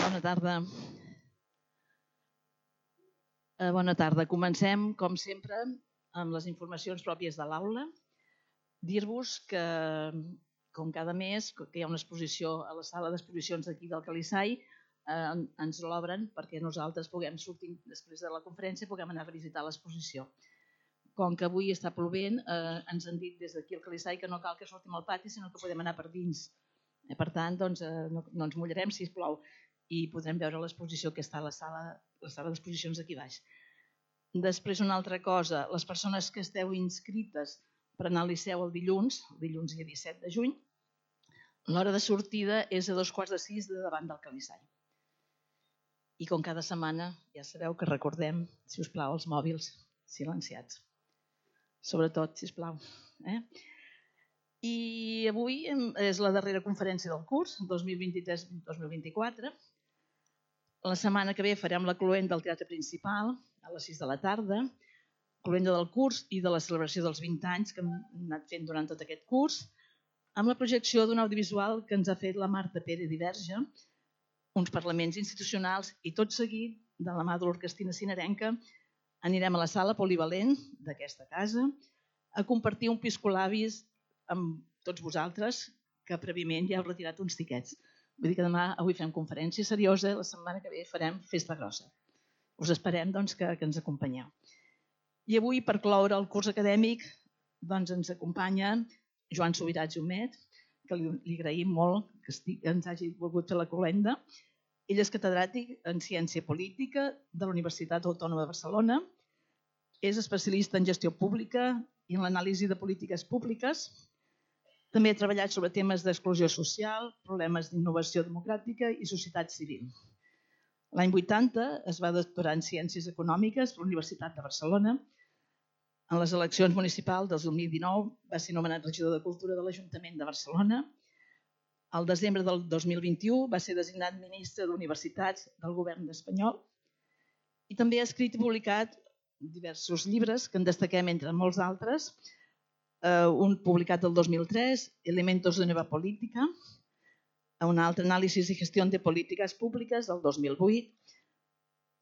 Bona tarda. Bona tarda. Comencem, com sempre, amb les informacions pròpies de l'aula. Dir-vos que, com cada mes, que hi ha una exposició a la sala d'exposicions d'aquí del Calissai, ens l'obren perquè nosaltres puguem sortir després de la conferència i puguem anar a visitar l'exposició. Com que avui està plovent, ens han dit des d'aquí al Calissai que no cal que sortim al pati, sinó que podem anar per dins. Per tant, no ens mullarem si plou i podrem veure l'exposició que està a la sala d'exposicions aquí baix. Després, una altra cosa, les persones que esteu inscrites per anar al Liceu el dilluns dia 17 de juny, l'hora de sortida és a 5:15 de davant del Calissai. I com cada setmana, ja sabeu que recordem, si us plau, els mòbils silenciats. Sobretot, si us plau. I avui és la darrera conferència del curs, 2023-2024. La setmana que ve farem la cloenda del teatre principal a les 6 de la tarda, cloenda del curs i de la celebració dels 20 anys que hem anat fent durant tot aquest curs, amb la projecció d'un audiovisual que ens ha fet la Marta Pérez i Verge, uns parlaments institucionals i tot seguit, de la mà de l'Orquestina Sinarenca, anirem a la sala polivalent d'aquesta casa a compartir un piscolabis amb tots vosaltres que prèviament ja heu retirat uns tiquets. Vull dir que avui fem conferència seriosa, la setmana que ve farem festa grossa. Us esperem que ens acompanyeu. I avui, per cloure el curs acadèmic, ens acompanya Joan Subirats i Humet, que li agraïm molt que ens hagi volgut fer la cloenda. Ell és catedràtic en Ciència Política de la Universitat Autònoma de Barcelona, és especialista en gestió pública i en l'anàlisi de polítiques públiques. També ha treballat sobre temes d'exclusió social, problemes d'innovació democràtica i societat civil. L'any 80 es va doctorar en Ciències Econòmiques per la Universitat de Barcelona. En les eleccions municipals del 2019 va ser nomenat regidor de Cultura de l'Ajuntament de Barcelona. Al desembre del 2021 va ser designat ministre d'Universitats del govern espanyol. I també ha escrit i publicat diversos llibres que en destaquem entre molts altres. Un publicat el 2003, Elementos de Nueva Política, un altre, Análisis y Gestión de Políticas Públicas, del 2008,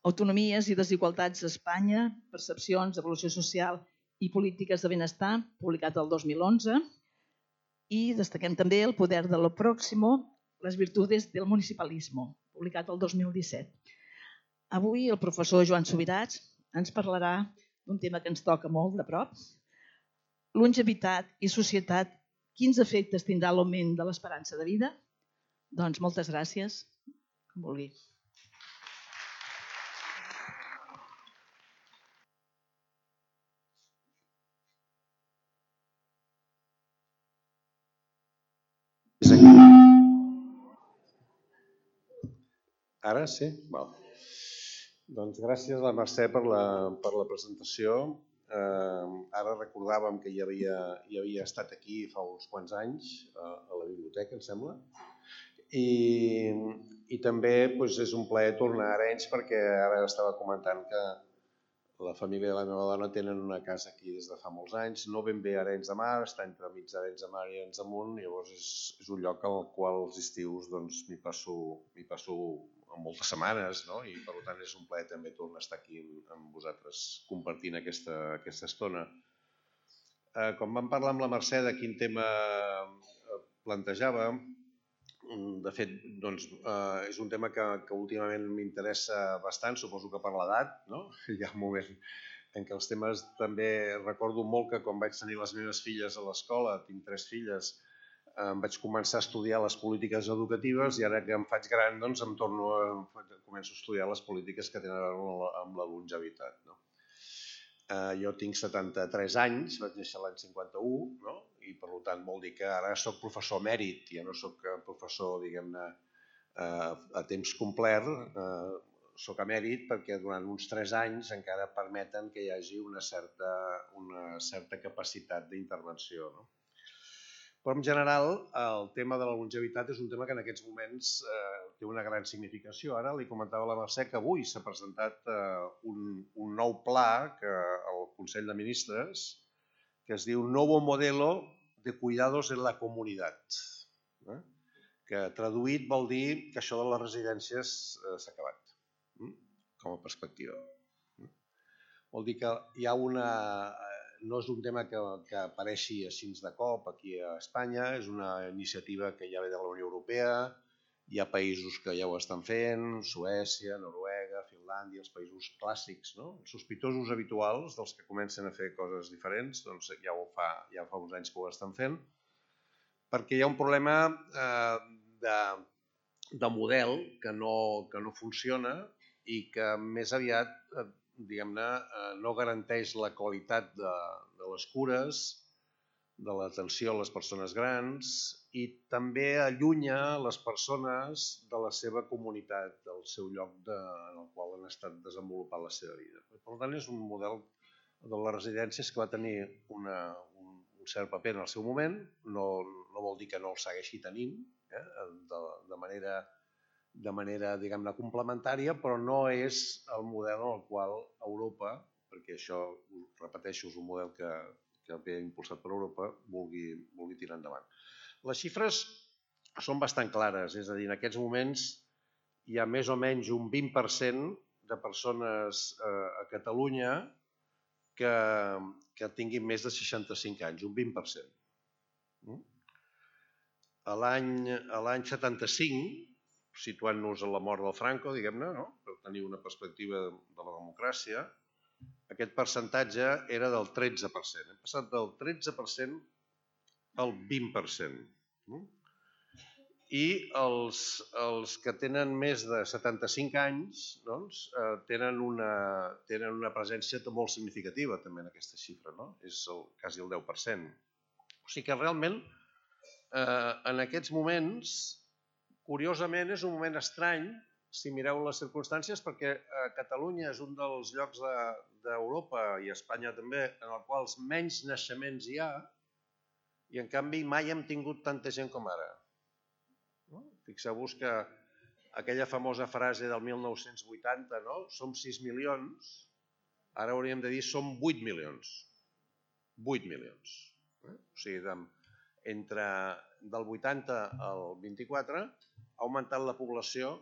Autonomies i desigualtats a Espanya, Percepcions, Evolució Social i Polítiques de Benestar, publicat el 2011, i destaquem també El poder de lo próximo, les virtudes del municipalismo, publicat el 2017. Avui el professor Joan Subirats ens parlarà d'un tema que ens toca molt de prop, longevitat i societat, quins efectes tindrà l'augment de l'esperança de vida? Doncs moltes gràcies. Com vulgui. Ara sí? Val. Doncs gràcies a la Mercè per la presentació. Ara recordàvem que ja havia estat aquí fa uns quants anys, a la biblioteca, em sembla. I també és un plaer tornar a Arenys perquè ara estava comentant que la família de la meva dona tenen una casa aquí des de fa molts anys, no ben bé a Arenys de Mar, està entre mig d'Arenys de Mar i Arenys de Munt, llavors és un lloc al qual els estius m'hi passo moltes setmanes, no? I per tant és un plaer també tornar a estar aquí amb vosaltres compartint aquesta estona. Com vam parlar amb la Mercè de quin tema plantejava, de fet és un tema que últimament m'interessa bastant, suposo que per l'edat, no? Hi ha un moment en què els temes també recordo molt que quan vaig tenir les meves filles a l'escola, tinc 3 filles, em vaig començar a estudiar les polítiques educatives i ara que em faig gran començo a estudiar les polítiques que tenen a veure amb la longevitat. Jo tinc 73 anys, vaig néixer l'any 51, i per tant vol dir que ara soc professor emèrit, ja no soc professor, diguem-ne, a temps complet, soc emèrit perquè durant uns 3 anys encara permeten que hi hagi una certa capacitat d'intervenció. Però en general el tema de la longevitat és un tema que en aquests moments té una gran significació. Ara li comentava a la Mercè que avui s'ha presentat un nou pla al Consell de Ministres que es diu Nuevo Modelo de Cuidados en la Comunidad, que traduït vol dir que això de les residències s'ha acabat, com a perspectiva. Vol dir que hi ha no és un tema que apareixi així de cop aquí a Espanya, és una iniciativa que ja ve de la Unió Europea, hi ha països que ja ho estan fent, Suècia, Noruega, Finlàndia, els països clàssics, els sospitosos habituals dels que comencen a fer coses diferents, doncs ja fa uns anys que ho estan fent, perquè hi ha un problema de model que no funciona i que més aviat, diguem-ne, no garanteix la qualitat de les cures, de l'atenció a les persones grans i també allunya les persones de la seva comunitat, del seu lloc en el qual han estat desenvolupant la seva vida. Per tant, és un model de les residències que va tenir un cert paper en el seu moment, no vol dir que no el segueixi tenint, de manera diguem-ne, complementària, però no és el model en el qual Europa, perquè això, repeteixo, és un model que ve impulsat per Europa, vulgui tirar endavant. Les xifres són bastant clares, és a dir, en aquests moments hi ha més o menys un 20% de persones a Catalunya que tinguin més de 65 anys, un 20%. A l'any 75, situant-nos a la mort del Franco, diguem-ne, per tenir una perspectiva de la democràcia, aquest percentatge era del 13%. Hem passat del 13% al 20%. I els que tenen més de 75 anys tenen una presència molt significativa també en aquesta xifra, és quasi el 10%. O sigui que realment en aquests moments, curiosament, és un moment estrany si mireu les circumstàncies, perquè Catalunya és un dels llocs d'Europa i Espanya també en els quals menys naixements hi ha i en canvi mai hem tingut tanta gent com ara. Fixeu-vos que aquella famosa frase del 1980, som 6 milions, ara hauríem de dir som 8 milions. 8 milions. O sigui, entre del 80 al 24 ha augmentat la població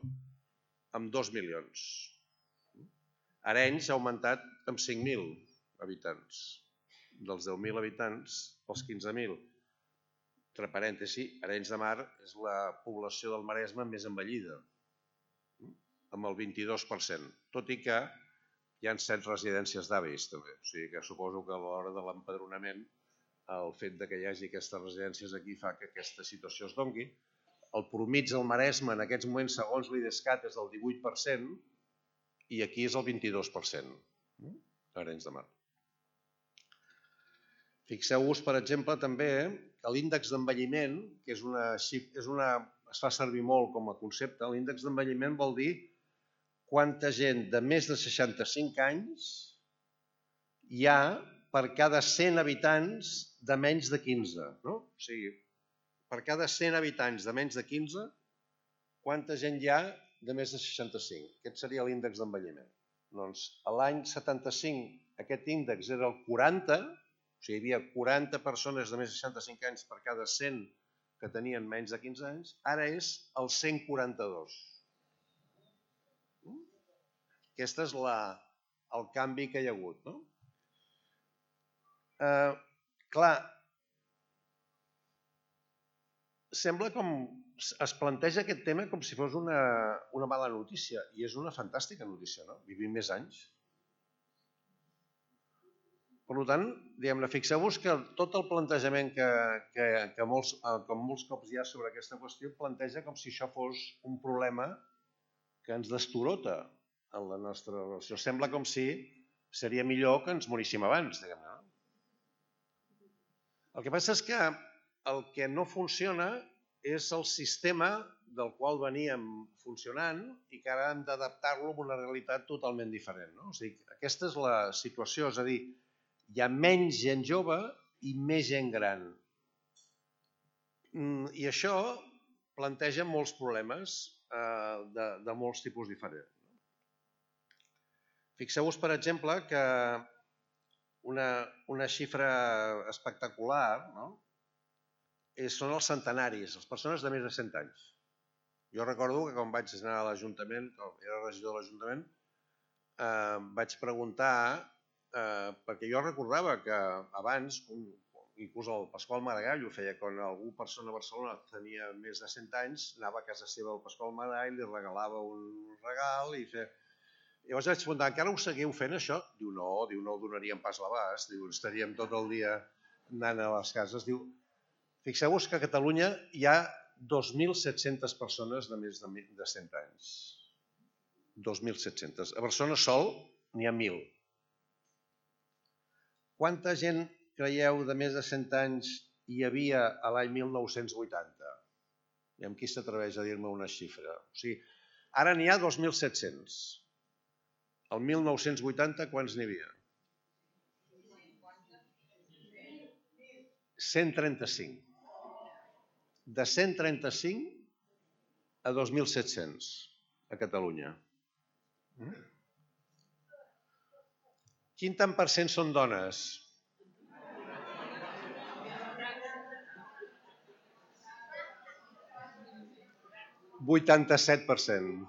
amb 2 milions. Arenys ha augmentat amb 5.000 habitants. Dels 10.000 habitants als 15.000. Entre parèntesi, Arenys de Mar és la població del Maresme més envellida, amb el 22%, tot i que hi ha 7 residències d'avis també. O sigui que suposo que a l'hora de l'empadronament el fet que hi hagi aquestes residències aquí fa que aquesta situació es doni. El promig del Maresme en aquests moments, segons l'IDESCAT, és del 18% i aquí és el 22%, a Arenys de Mar. Fixeu-vos, per exemple, també que l'índex d'envelliment, que es fa servir molt com a concepte, l'índex d'envelliment vol dir quanta gent de més de 65 anys hi ha per cada 100 habitants de menys de 15. O sigui, per cada 100 habitants de menys de 15, quanta gent hi ha de més de 65? Aquest seria l'índex d'envelliment. Doncs l'any 75 aquest índex era el 40, o sigui, hi havia 40 persones de més de 65 anys per cada 100 que tenien menys de 15 anys, ara és el 142. Aquest és el canvi que hi ha hagut. Clar, sembla com es planteja aquest tema com si fos una mala notícia i és una fantàstica notícia, vivim més anys. Per tant, fixeu-vos que tot el plantejament que molts cops hi ha sobre aquesta qüestió planteja com si això fos un problema que ens destorota en la nostra relació. Sembla com si seria millor que ens moríssim abans, diguem-ne. El que passa és que el que no funciona és el sistema del qual veníem funcionant i que ara hem d'adaptar-lo a una realitat totalment diferent. O sigui, aquesta és la situació, és a dir, hi ha menys gent jove i més gent gran. I això planteja molts problemes de molts tipus diferents. Fixeu-vos, per exemple, que una xifra espectacular són els centenaris, les persones de més de 100 anys. Jo recordo que quan vaig anar a l'Ajuntament, quan era regidor de l'Ajuntament, vaig preguntar, perquè jo recordava que abans, inclús el Pasqual Maragall ho feia, quan algú persona a Barcelona tenia més de 100 anys, anava a casa seva el Pasqual Maragall, li regalava un regal i feia... Llavors vaig preguntar, encara ho seguiu fent això? Diu, no ho donaríem pas l'abast, diu, estaríem tot el dia anant a les cases. Diu, fixeu-vos que a Catalunya hi ha 2.700 persones de més de 100 anys. 2.700. A Barcelona sol n'hi ha 1.000. Quanta gent creieu de més de 100 anys hi havia a l'any 1980? I amb qui s'atreveix a dir-me una xifra? O sigui, ara n'hi ha 2.700. El 1980 quants n'hi havia? 135. De 135 a 2.700 a Catalunya. Quin tant per cent són dones? 87%.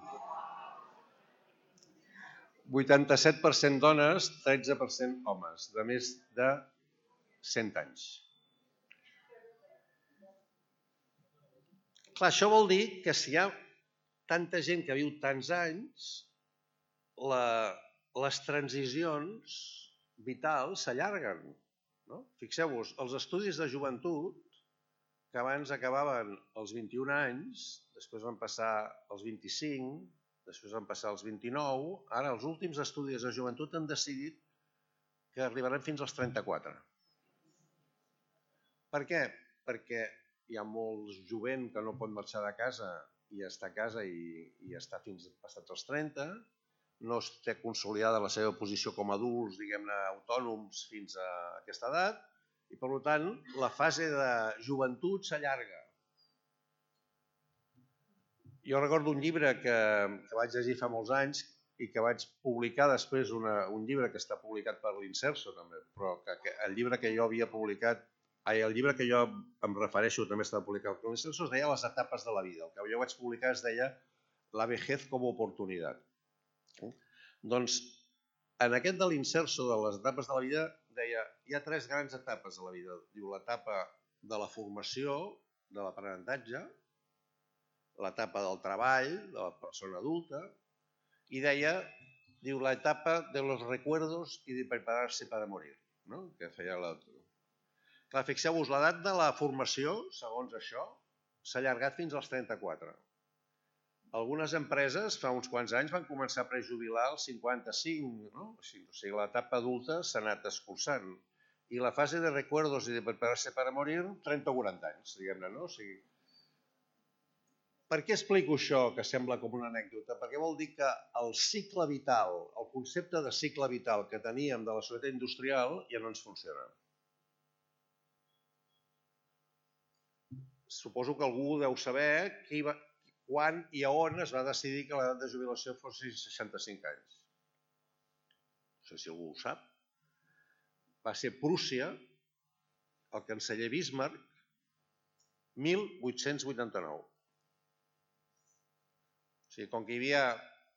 87% dones, 13% homes, de més de 100 anys. Clar, això vol dir que si hi ha tanta gent que viu tants anys, les transicions vitals s'allarguen. No? Fixeu-vos, els estudis de joventut, que abans acabaven als 21 anys, després van passar als 25, després van passar als 29, ara els últims estudis de joventut han decidit que arribaran fins als 34. Per què? Perquè hi ha molts jovent que no pot marxar de casa i està a casa i està fins passats els 30, no es té consolidada la seva posició com a adults, diguem-ne, autònoms fins a aquesta edat, i per tant la fase de joventut s'allarga. Jo recordo un llibre que vaig llegir fa molts anys i que vaig publicar després, un llibre que està publicat per l'Inserso també, però el llibre que jo havia publicat, el llibre que jo em refereixo també estava publicat per l'Inserso, es deia Les etapes de la vida. El que jo vaig publicar es deia La vejez como oportunidad. Doncs en aquest de l'Inserso de les etapes de la vida deia hi ha 3 grans etapes de la vida. Diu l'etapa de la formació, de l'aprenentatge, l'etapa del treball, de la persona adulta, i deia, diu, l'etapa de los recuerdos y de prepararse para morir, no? Que feia l'altre. Clar, fixeu-vos, l'edat de la formació, segons això, s'ha allargat fins als 34. Algunes empreses, fa uns quants anys, van començar a prejubilar als 55, no? O sigui, l'etapa adulta s'ha anat escurçant. I la fase de recuerdos y de prepararse para morir, 30 o 40 anys, diguem-ne, no? O sigui, per què explico això, que sembla com una anècdota? Perquè vol dir que el cicle vital, el concepte de cicle vital que teníem de la societat industrial ja no ens funciona. Suposo que algú deu saber quan i a on es va decidir que l'edat de jubilació fos 65 anys. No sé si algú ho sap. Va ser Prússia, el canceller Bismarck, 1889. O sigui, com que hi havia...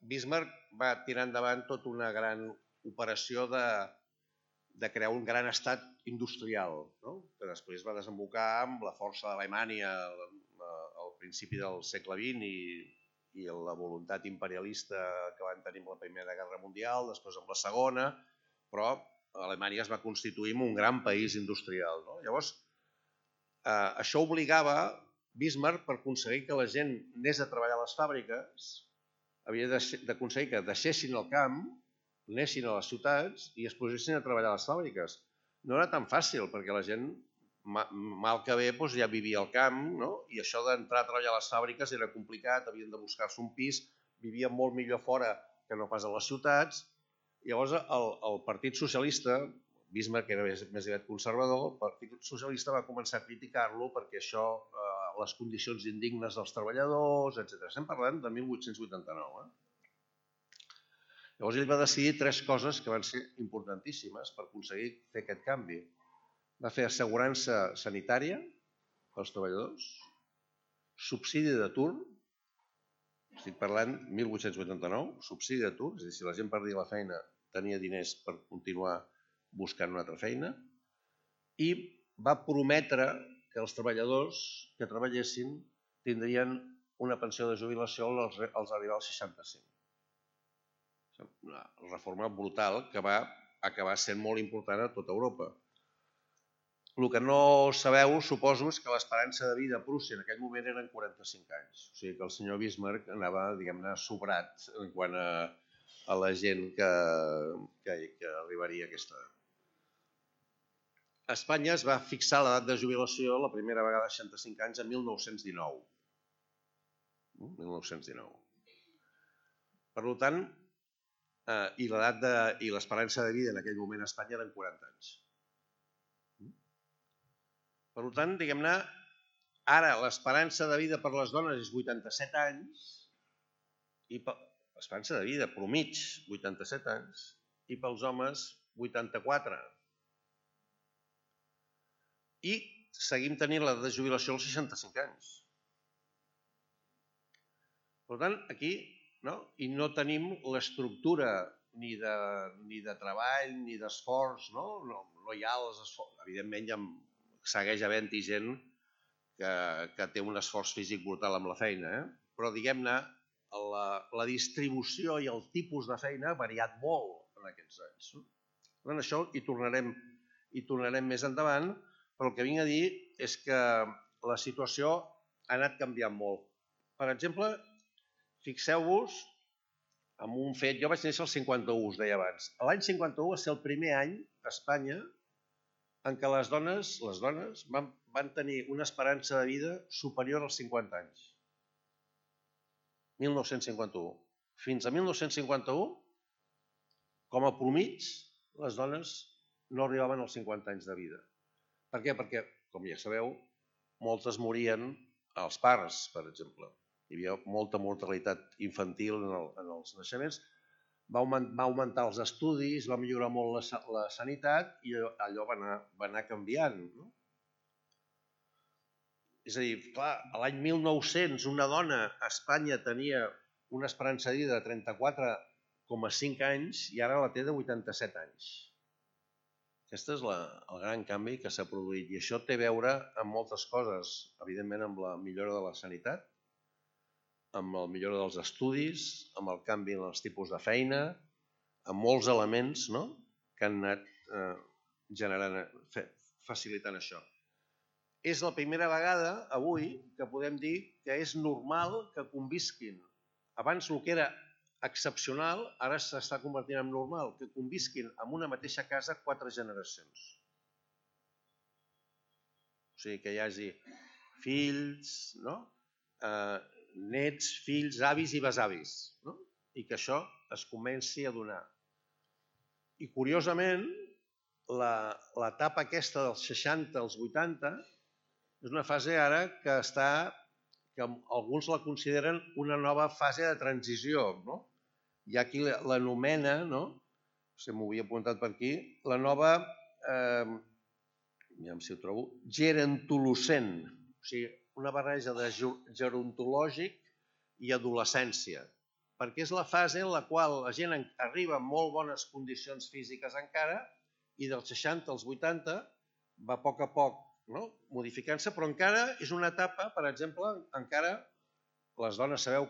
Bismarck va tirar endavant tota una gran operació de crear un gran estat industrial, no? Que després va desembocar amb la força d'Alemanya al principi del segle XX i la voluntat imperialista que van tenir amb la Primera Guerra Mundial, després amb la Segona, però Alemanya es va constituir en un gran país industrial. No? Llavors, això obligava Bismarck, per aconseguir que la gent anés a treballar a les fàbriques, havia d'aconseguir que deixessin el camp, anessin a les ciutats i es posessin a treballar a les fàbriques. No era tan fàcil, perquè la gent, mal que bé, ja vivia al camp, no? I això d'entrar a treballar a les fàbriques era complicat, havien de buscar-se un pis, vivien molt millor fora que no pas a les ciutats. Llavors, el Partit Socialista, Bismarck era més aviat conservador, el Partit Socialista va començar a criticar-lo perquè això, les condicions indignes dels treballadors, etc. Estem parlant de 1889. Llavors ell va decidir 3 coses que van ser importantíssimes per aconseguir fer aquest canvi. Va fer assegurança sanitària pels treballadors, subsidi d'atur estic parlant 1889, subsidi d'atur, és a dir, si la gent perdia la feina tenia diners per continuar buscant una altra feina, i va prometre que els treballadors que treballessin tindrien una pensió de jubilació als arribar als 65. Una reforma brutal que va acabar sent molt important a tota Europa. El que no sabeu, suposo, és que l'esperança de vida a Prússia en aquell moment eren 45 anys. O sigui que el senyor Bismarck anava, diguem-ne, sobrat en quant a la gent que arribaria a aquesta edat. A Espanya es va fixar l'edat de jubilació la primera vegada a 65 anys a 1919. 1919. Per tant, i l'esperança de vida en aquell moment a Espanya eren 40 anys. Per tant, diguem-ne, ara l'esperança de vida per les dones és 87 anys, i l'esperança de vida promig 87 anys, i pels homes 84. I seguim tenint l'edat de jubilació als 65 anys. Per tant, aquí i no tenim l'estructura ni de treball ni d'esforç, no hi ha els esforços. Evidentment, segueix havent-hi gent que té un esforç físic brutal amb la feina, però, diguem-ne, la distribució i el tipus de feina ha variat molt en aquests anys. Per tant, això hi tornarem més endavant, però el que vinc a dir és que la situació ha anat canviant molt. Per exemple, fixeu-vos en un fet, jo vaig néixer al 51, us deia abans. L'any 51 va ser el primer any a Espanya en què les dones van tenir una esperança de vida superior als 50 anys. 1951. Fins a 1951, com a promig, les dones no arribaven als 50 anys de vida. Per què? Perquè, com ja sabeu, moltes morien als parts, per exemple. Hi havia molta mortalitat infantil en els naixements. Va augmentar els estudis, va millorar molt la sanitat i allò va anar canviant. És a dir, clar, l'any 1900 una dona a Espanya tenia una esperança de vida de 34,5 anys i ara la té de 87 anys. Aquest és el gran canvi que s'ha produït i això té a veure amb moltes coses, evidentment amb la millora de la sanitat, amb la millora dels estudis, amb el canvi en els tipus de feina, amb molts elements que han anat facilitant això. És la primera vegada avui que podem dir que és normal que convisquin. Abans el que era excepcional, ara s'està convertint en normal, que convisquin en una mateixa casa 4 generacions. O sigui, que hi hagi fills, nets, fills, avis i besavis, i que això es comenci a donar. I curiosament, l'etapa aquesta dels 60 als 80 és una fase ara que alguns la consideren una nova fase de transició. Hi ha qui l'anomena, si m'ho havia apuntat per aquí, la nova, aviam si ho trobo, gerontolocent, o sigui, una barreja de gerontològic i adolescència, perquè és la fase en la qual la gent arriba en molt bones condicions físiques encara i dels 60 als 80 va a poc modificant-se, però encara és una etapa, per exemple, encara les dones sabeu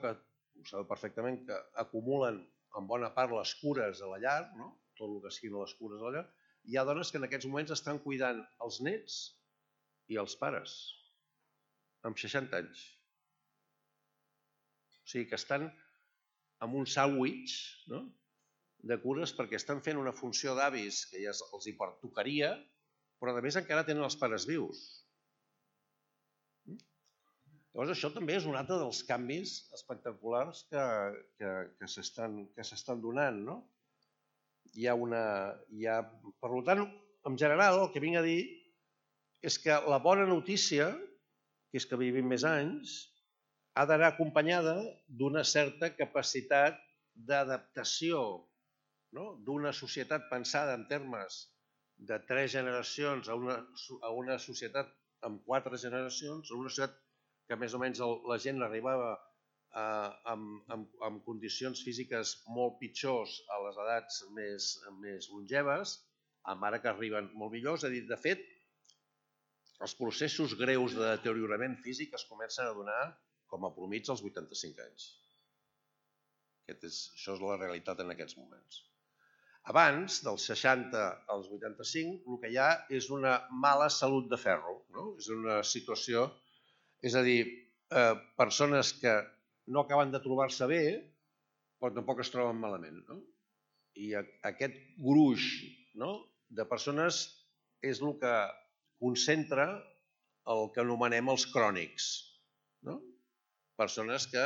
perfectament que acumulen en bona part les cures a la llar, tot el que siguin les cures a la llar. Hi ha dones que en aquests moments estan cuidant els nets i els pares, amb 60 anys. O sigui que estan amb un sàndwich de cures perquè estan fent una funció d'avis que ja els hi pertocaria, però a més encara tenen els pares vius. Llavors això també és un altre dels canvis espectaculars que s'estan donant. Per tant, en general, el que vinc a dir és que la bona notícia, que és que vivim més anys, ha d'anar acompanyada d'una certa capacitat d'adaptació, d'una societat pensada en termes de 3 generacions a una societat amb 4 generacions, a una societat que més o menys la gent arribava amb condicions físiques molt pitjors a les edats més longeves, ara que arriben molt millors. És a dir, de fet, els processos greus de deteriorament físic es comencen a donar com a promig als 85 anys. Això és la realitat en aquests moments. Abans, dels 60 als 85, el que hi ha és una mala salut de ferro. És una situació, és a dir, persones que no acaben de trobar-se bé, però tampoc es troben malament. I aquest gruix de persones és el que concentra el que anomenem els crònics. Persones que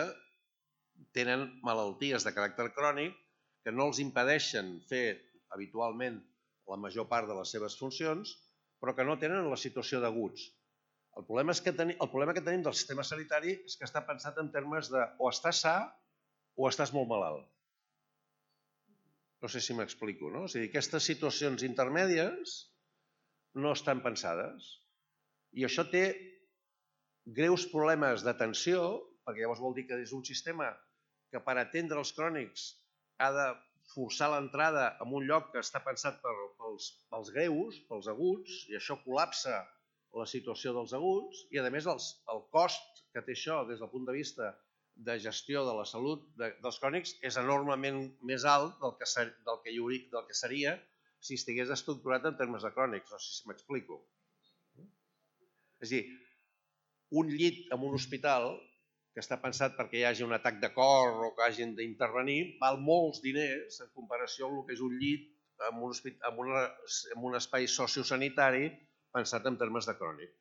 tenen malalties de caràcter crònic que no els impedeixen fer habitualment la major part de les seves funcions, però que no tenen la situació d'aguts. El problema que tenim del sistema sanitari és que està pensat en termes de o estàs sa o estàs molt malalt. No sé si m'explico, no? És a dir, aquestes situacions intermèdies no estan pensades. I això té greus problemes d'atenció, perquè llavors vol dir que és un sistema que per atendre els crònics ha de forçar l'entrada en un lloc que està pensat pels greus, pels aguts, i això col·lapsa la situació dels aguts, i a més el cost que té això des del punt de vista de gestió de la salut dels crònics és enormement més alt del que seria si estigués estructurat en termes de crònics. No sé si m'explico. És a dir, un llit en un hospital que està pensat perquè hi hagi un atac de cor o que hagin d'intervenir, val molts diners en comparació amb el que és un llit en un espai sociosanitari pensat en termes de crònic.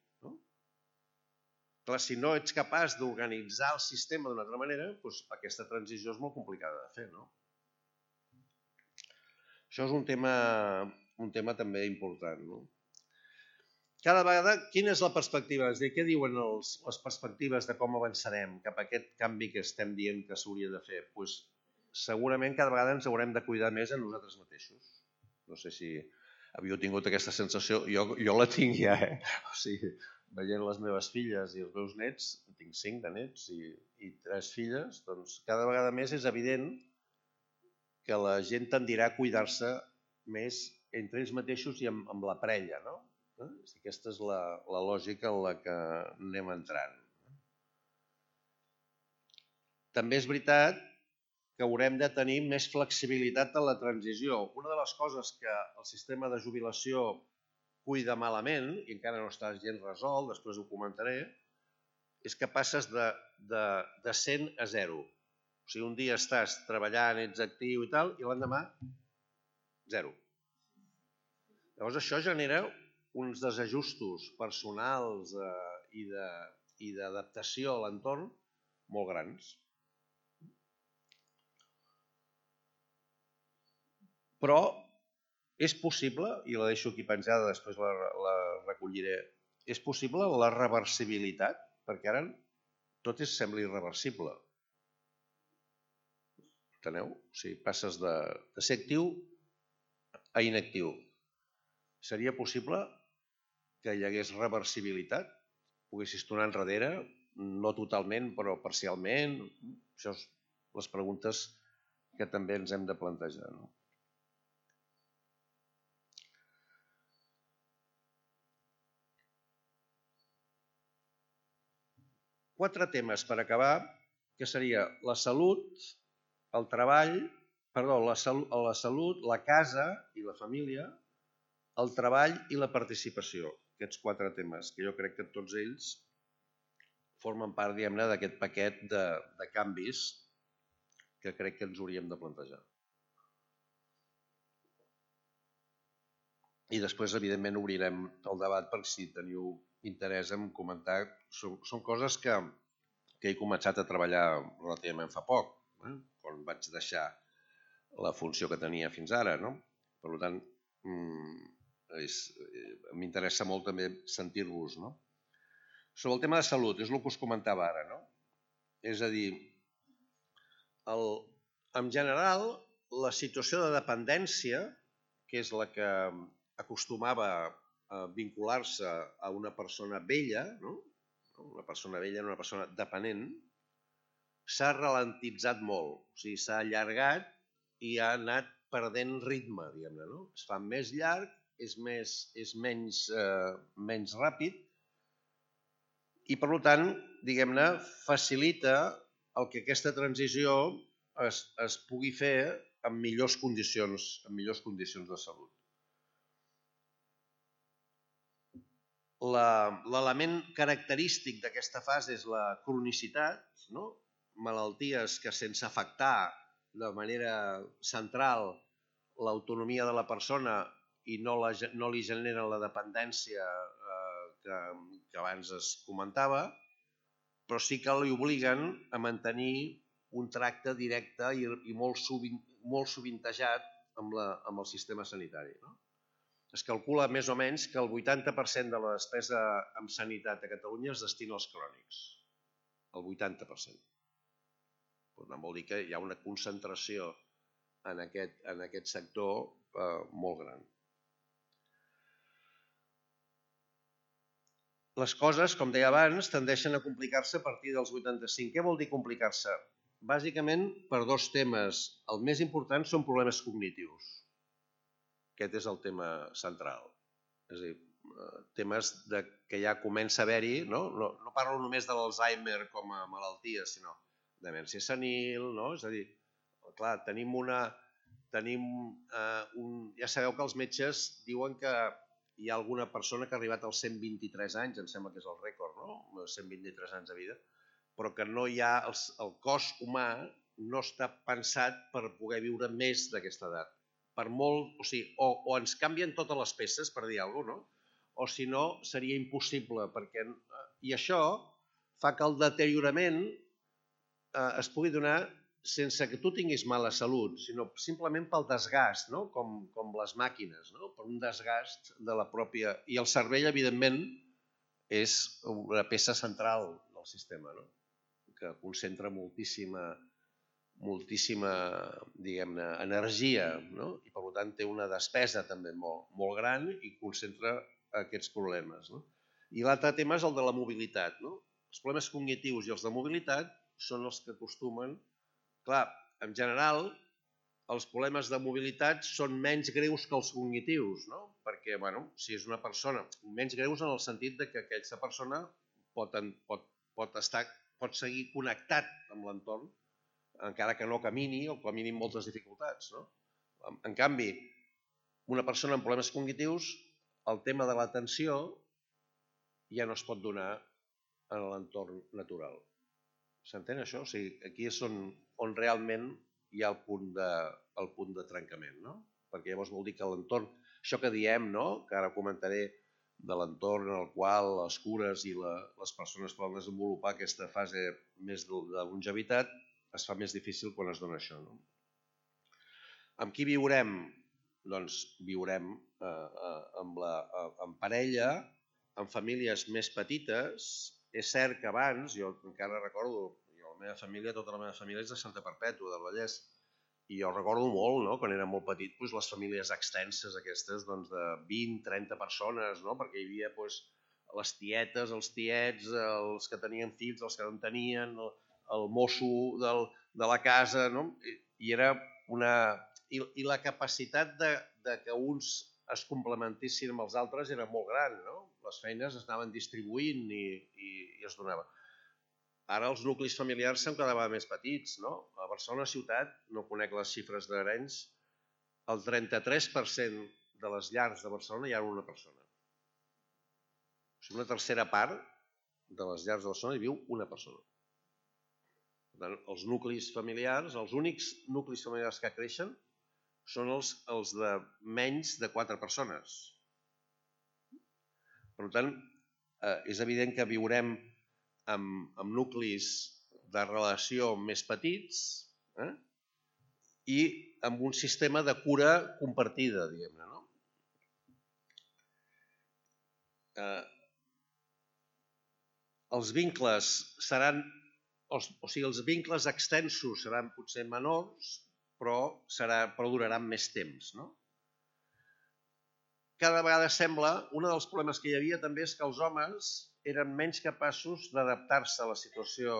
Clar, si no ets capaç d'organitzar el sistema d'una altra manera, doncs aquesta transició és molt complicada de fer. Això és un tema també important. Cada vegada, quina és la perspectiva? És a dir, què diuen les perspectives de com avançarem cap a aquest canvi que estem dient que s'hauria de fer? Doncs segurament cada vegada ens haurem de cuidar més a nosaltres mateixos. No sé si havíeu tingut aquesta sensació. Jo la tinc ja, O sigui, veient les meves filles i els meus nets, tinc 5 de nets i 3 filles, doncs cada vegada més és evident que la gent tendirà a cuidar-se més entre ells mateixos i amb la parella, no? Aquesta és la lògica en la que anem entrant. També és veritat que haurem de tenir més flexibilitat en la transició. Una de les coses que el sistema de jubilació cuida malament, i encara no està gens resolt, després ho comentaré, és que passes de 100 a 0. O sigui, un dia estàs treballant, ets actiu i tal, i l'endemà, 0. Llavors això genera uns desajustos personals i d'adaptació a l'entorn molt grans. Però és possible, i la deixo aquí penjada, després la recolliré, és possible la reversibilitat, perquè ara tot sembla irreversible. Enteneu? O sigui, passes de ser actiu a inactiu. Seria possible que hi hagués reversibilitat? Poguessis tornar enrere, no totalment, però parcialment? Això són les preguntes que també ens hem de plantejar, no? Quatre temes per acabar, que seria la salut, el treball, la salut, la casa i la família, el treball i la participació. Aquests 4 temes, que jo crec que tots ells formen part, diguem-ne, d'aquest paquet de canvis que crec que ens hauríem de plantejar. I després, evidentment, obrirem el debat per si teniu interès en comentar. Són coses que he començat a treballar relativament fa poc, quan vaig deixar la funció que tenia fins ara. Per tant, m'interessa molt també sentir-vos. Sobre el tema de salut, és el que us comentava ara. És a dir, en general, la situació de dependència, que és la que acostumava a vincular-se a una persona vella, una persona vella, una persona dependent, s'ha ralentitzat molt, o sigui, s'ha allargat i ha anat perdent ritme, diguem-ne, no? Es fa més llarg, és menys ràpid i, per tant, diguem-ne, facilita el que aquesta transició es pugui fer en millors condicions de salut. L'element característic d'aquesta fase és la cronicitat, no? Malalties que sense afectar de manera central l'autonomia de la persona i no li generen la dependència que abans es comentava, però sí que li obliguen a mantenir un tracte directe i molt sovintejat amb el sistema sanitari. Es calcula més o menys que el 80% de la despesa en sanitat a Catalunya es destina als crònics. El 80%. Per tant, vol dir que hi ha una concentració en aquest sector molt gran. Les coses, com deia abans, tendeixen a complicar-se a partir dels 85. Què vol dir complicar-se? Bàsicament per dos temes. El més important són problemes cognitius. Aquest és el tema central. És a dir, temes que ja comença a haver-hi, no parlo només de l'Alzheimer com a malaltia, sinó demència senil, no? És a dir, clar, ja sabeu que els metges diuen que hi ha alguna persona que ha arribat als 123 anys, em sembla que és el rècord, no? 123 anys de vida, però que no hi ha, el cos humà no està pensat per poder viure més d'aquesta edat. Per molt, o sigui, o ens canvien totes les peces, per dir alguna cosa, no? O si no, seria impossible, i això fa que el deteriorament es pugui donar sense que tu tinguis mala salut, sinó simplement pel desgast, no? Com les màquines, no? Per un desgast de la pròpia... I el cervell, evidentment, és una peça central del sistema, no? Que concentra moltíssima, diguem-ne, energia, no? I per tant té una despesa també molt gran i concentra aquests problemes, no? I l'altre tema és el de la mobilitat, no? Els problemes cognitius i els de mobilitat són els que acostumen... Clar, en general, els problemes de mobilitat són menys greus que els cognitius, no? Perquè, bueno, si és una persona... Menys greus en el sentit que aquesta persona pot seguir connectat amb l'entorn, encara que no camini o com a mínim moltes dificultats, no? En canvi, una persona amb problemes cognitius, el tema de l'atenció ja no es pot donar en l'entorn natural. S'entén això? O sigui, aquí és on realment hi ha el punt de trencament, no? Perquè llavors vol dir que l'entorn, això que diem, no? Que ara comentaré de l'entorn en el qual les cures i les persones poden desenvolupar aquesta fase més de longevitat, es fa més difícil quan es dona això, no? Amb qui viurem? Doncs viurem en parella, en famílies més petites. És cert que abans, jo encara recordo, tota la meva família és de Santa Perpètua, del Vallès, i jo recordo molt, no? Quan era molt petit, les famílies extenses aquestes de 20-30 persones, no? Perquè hi havia les tietes, els tiets, els que tenien fills, els que no en tenien, el mosso de la casa, no? I la capacitat de que uns es complementissin amb els altres era molt gran, no? Les feines es anaven distribuint i es donava. Ara els nuclis familiars se'n quedaven més petits, no? A Barcelona ciutat, no conec les xifres d'Arenys, el 33% de les llars de Barcelona hi ha una persona. O sigui, una tercera part de les llars de Barcelona hi viu una persona. Per tant, els nuclis familiars, els únics nuclis familiars que creixen són els de menys de 4 persones. Per tant, és evident que viurem amb nuclis de relació més petits i amb un sistema de cura compartida, diguem-ne, no? Els vincles seran, o sigui, els vincles extensos seran potser menors, però duraran més temps, no? Cada vegada sembla, un dels problemes que hi havia també és que els homes eren menys capaços d'adaptar-se a la situació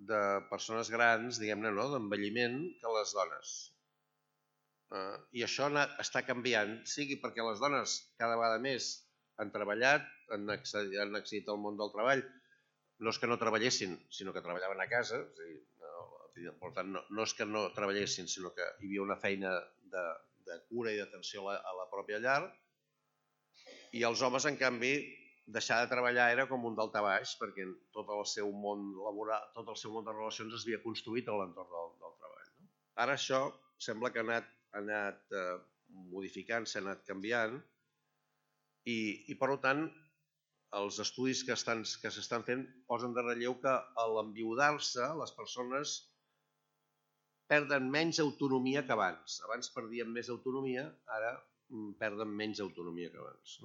de persones grans, diguem-ne, d'envelliment que les dones. I això està canviant, sigui perquè les dones cada vegada més han treballat, han accedit al món del treball. No és que no treballessin, sinó que treballaven a casa. Per tant, no és que no treballessin, sinó que hi havia una feina de cura i d'atenció a la pròpia llar. I els homes, en canvi, deixar de treballar era com un daltabaix, perquè tot el seu món laboral, tot el seu món de relacions es havia construït a l'entorn del treball. Ara això sembla que ha anat modificant, s'ha anat canviant, i per tant els estudis que s'estan fent posen de relleu que a l'enviudar-se les persones perden menys autonomia que abans. Abans perdien més autonomia, ara perden menys autonomia que abans.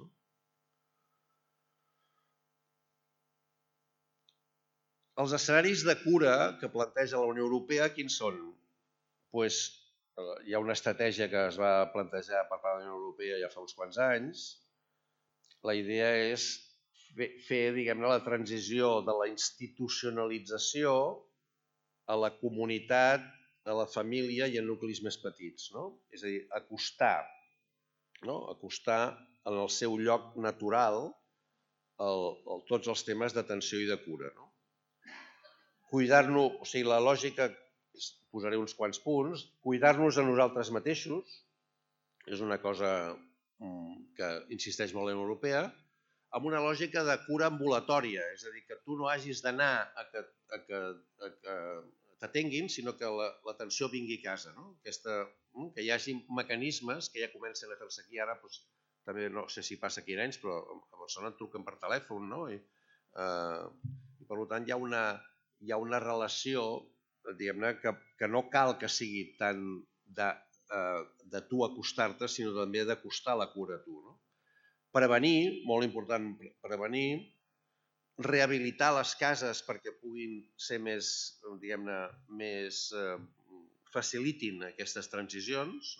Els escenaris de cura que planteja la Unió Europea, quins són? Hi ha una estratègia que es va plantejar per part de la Unió Europea ja fa uns quants anys. La idea és fer, diguem-ne, la transició de la institucionalització a la comunitat, a la família i a nuclis més petits. És a dir, acostar en el seu lloc natural tots els temes d'atenció i de cura. Cuidar-nos, o sigui, la lògica, posaré uns quants punts, cuidar-nos a nosaltres mateixos, és una cosa que insisteix molt la Unió Europea, amb una lògica de cura ambulatòria, és a dir, que tu no hagis d'anar a que t'atenguin, sinó que l'atenció vingui a casa. Que hi hagi mecanismes que ja comencen a fer-se aquí, ara també no sé si passa aquí a Arenys, però a Barcelona et truquen per telèfon, i per tant hi ha una relació, diguem-ne, que no cal que sigui tant de tu acostar-te, sinó també d'acostar la cura a tu. Prevenir, molt important prevenir, rehabilitar les cases perquè puguin ser més, diguem-ne, facilitin aquestes transicions,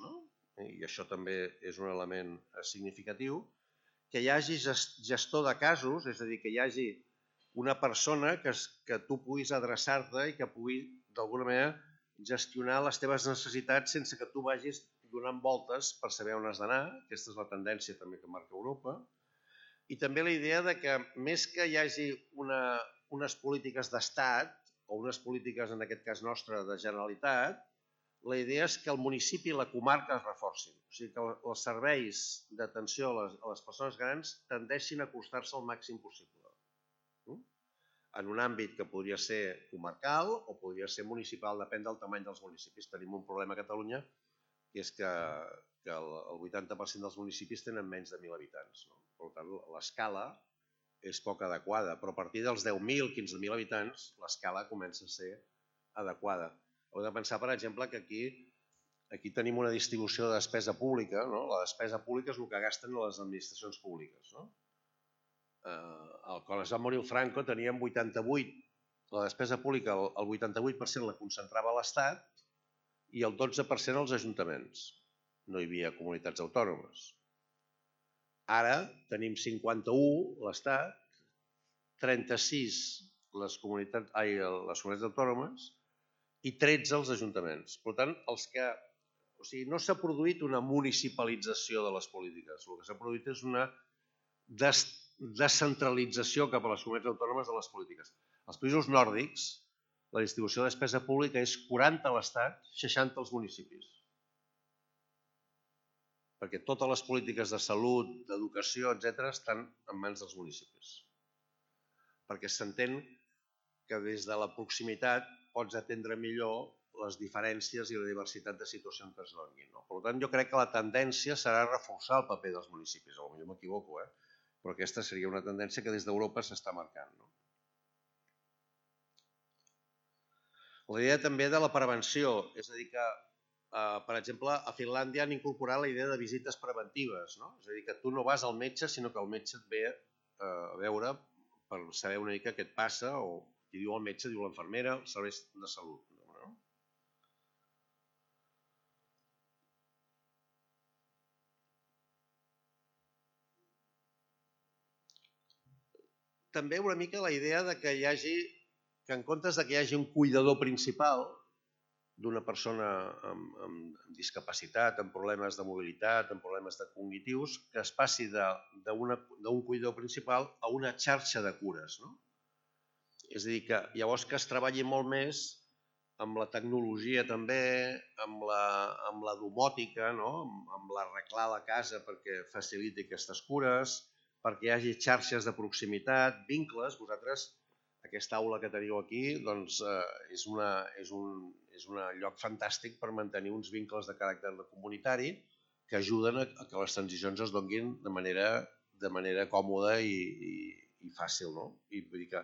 i això també és un element significatiu, que hi hagi gestor de casos, és a dir, que hi hagi una persona que tu puguis adreçar-te i que pugui, d'alguna manera, gestionar les teves necessitats sense que tu vagis donant voltes per saber on has d'anar. Aquesta és la tendència també que marca Europa. I també la idea de que més que hi hagi unes polítiques d'estat o unes polítiques, en aquest cas nostre, de Generalitat, la idea és que el municipi i la comarca es reforcin. O sigui, que els serveis d'atenció a les persones grans tendeixin a acostar-se al màxim possible. En un àmbit que podria ser comarcal o podria ser municipal, depèn del tamany dels municipis. Tenim un problema a Catalunya, que és que el 80% dels municipis tenen menys de 1.000 habitants. Per tant, l'escala és poc adequada, però a partir dels 10.000, 15.000 habitants, l'escala comença a ser adequada. Heu de pensar, per exemple, que aquí tenim una distribució de despesa pública. La despesa pública és el que gasten les administracions públiques. Quan es va morir el Franco teníem 88, la despesa pública el 88% la concentrava l'Estat i el 12% els ajuntaments. No hi havia comunitats autònomes. Ara tenim 51 l'Estat, 36 les comunitats autònomes i 13 els ajuntaments. Per tant, no s'ha produït una municipalització de les polítiques, el que s'ha produït és una descentralització cap a les comunitats autònomes de les polítiques. Als països nòrdics, la distribució de despesa pública és 40 a l'Estat, 60 als municipis. Perquè totes les polítiques de salut, d'educació, etc., estan en mans dels municipis. Perquè s'entén que des de la proximitat pots atendre millor les diferències i la diversitat de situacions que es donin. Per tant, jo crec que la tendència serà reforçar el paper dels municipis. Potser m'equivoco, però aquesta seria una tendència que des d'Europa s'està marcant. La idea també de la prevenció, és a dir que, per exemple, a Finlàndia han incorporat la idea de visites preventives, és a dir, que tu no vas al metge, sinó que el metge et ve a veure per saber una mica què et passa, o qui diu el metge, diu l'infermera, els serveis de salut. També una mica la idea de que hi hagi que en comptes que hi hagi un cuidador principal d'una persona amb discapacitat, amb problemes de mobilitat, amb problemes cognitius, que es passi d'un cuidador principal a una xarxa de cures. És a dir, que llavors que es treballi molt més amb la tecnologia també, amb la domòtica, amb l'arreglar la casa perquè faciliti aquestes cures, perquè hi hagi xarxes de proximitat, vincles. Vosaltres, aquesta aula que teniu aquí, doncs és un lloc fantàstic per mantenir uns vincles de caràcter comunitari que ajuden a que les transicions es donin de manera còmoda i fàcil. I vull dir que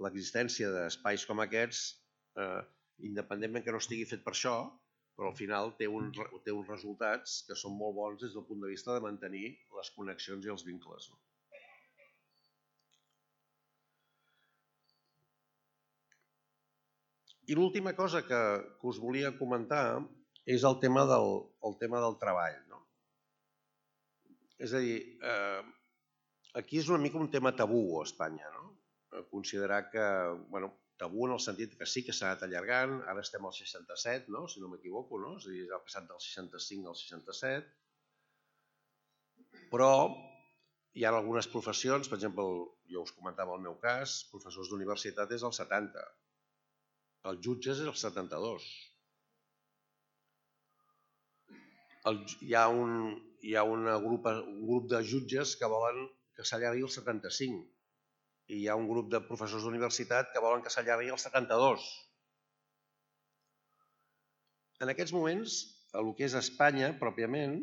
l'existència d'espais com aquests, independentment que no estigui fet per això, però al final té uns resultats que són molt bons des del punt de vista de mantenir les connexions i els vincles. I l'última cosa que us volia comentar és el tema del treball. És a dir, aquí és una mica un tema tabú a Espanya. Considerar que, tabú en el sentit que sí que s'ha anat allargant, ara estem al 67, si no m'equivoco, és a dir, ha passat del 65 al 67, però hi ha algunes professions, per exemple, jo us comentava el meu cas, professors d'universitat és el 70, els jutges és el 72. Hi ha un grup de jutges que volen que s'allargui el 75 i hi ha un grup de professors d'universitat que volen que s'allargui el 72. En aquests moments, a lo que és Espanya pròpiament,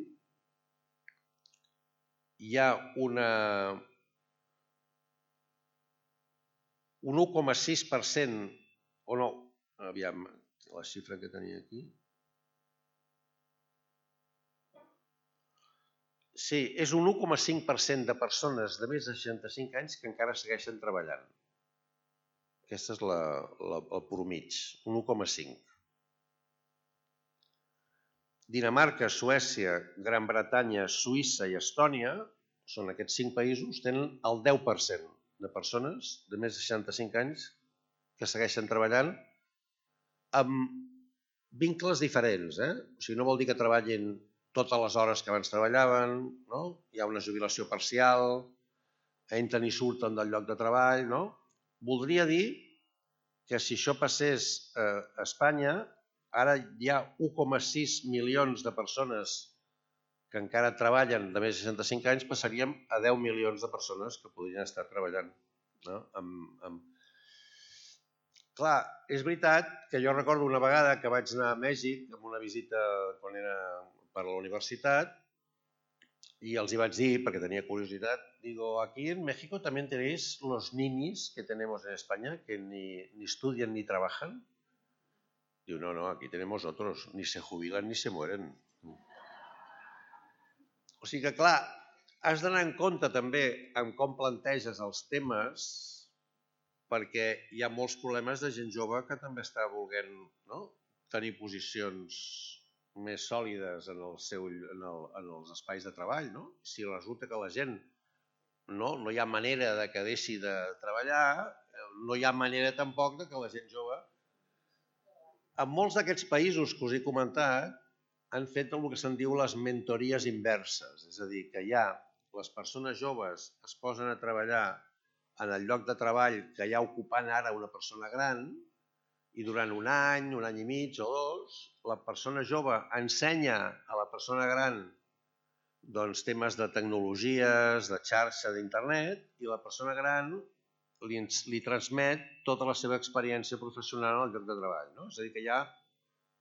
hi ha un 1,6%, o no, aviam, la xifra que tenia aquí. Sí, és un 1,5% de persones de més de 65 anys que encara segueixen treballant. Aquesta és el promig, un 1,5. Dinamarca, Suècia, Gran Bretanya, Suïssa i Estònia, són aquests 5 països, tenen el 10% de persones de més de 65 anys que segueixen treballant amb vincles diferents. O sigui, no vol dir que treballin totes les hores que abans treballaven, hi ha una jubilació parcial, entren i surten del lloc de treball. Voldria dir que si això passés a Espanya, ara hi ha 1,6 milions de persones que encara treballen de més de 65 anys, passaríem a 10 milions de persones que podrien estar treballant. Clar, és veritat que jo recordo una vegada que vaig anar a Mèxic amb una visita quan era per la universitat y els hi vaig dir, perquè tenia curiositat, digo, aquí en México también tenéis los ninis que tenemos en España, que ni estudian ni trabajan. Diu, no, aquí tenemos otros, ni se jubilan ni se mueren. O sigui que, clar, has d'anar en compte també en com planteges els temes, perquè hi ha molts problemes de gent jove que també està volent tenir posicions més sòlides en els espais de treball. Si resulta que la gent no hi ha manera de que deixi de treballar, no hi ha manera tampoc de que la gent jove... En molts d'aquests països que us he comentat han fet el que se'n diu les mentories inverses, és a dir, que ja les persones joves es posen a treballar en el lloc de treball que hi ha ocupant ara una persona gran i durant un any i mig o 2, la persona jove ensenya a la persona gran temes de tecnologies, de xarxa, d'internet, i la persona gran li transmet tota la seva experiència professional al lloc de treball. És a dir, que hi ha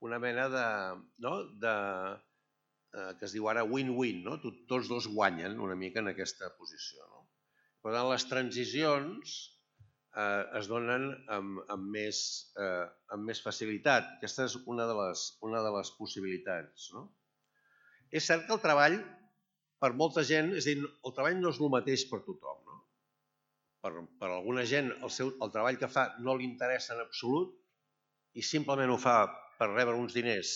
una mena que es diu ara win-win, tots dos guanyen una mica en aquesta posició. Per tant, les transicions es donen amb més facilitat. Aquesta és una de les possibilitats. És cert que el treball, per molta gent, és a dir, el treball no és el mateix per tothom. Per alguna gent el treball que fa no li interessa en absolut i simplement ho fa per rebre uns diners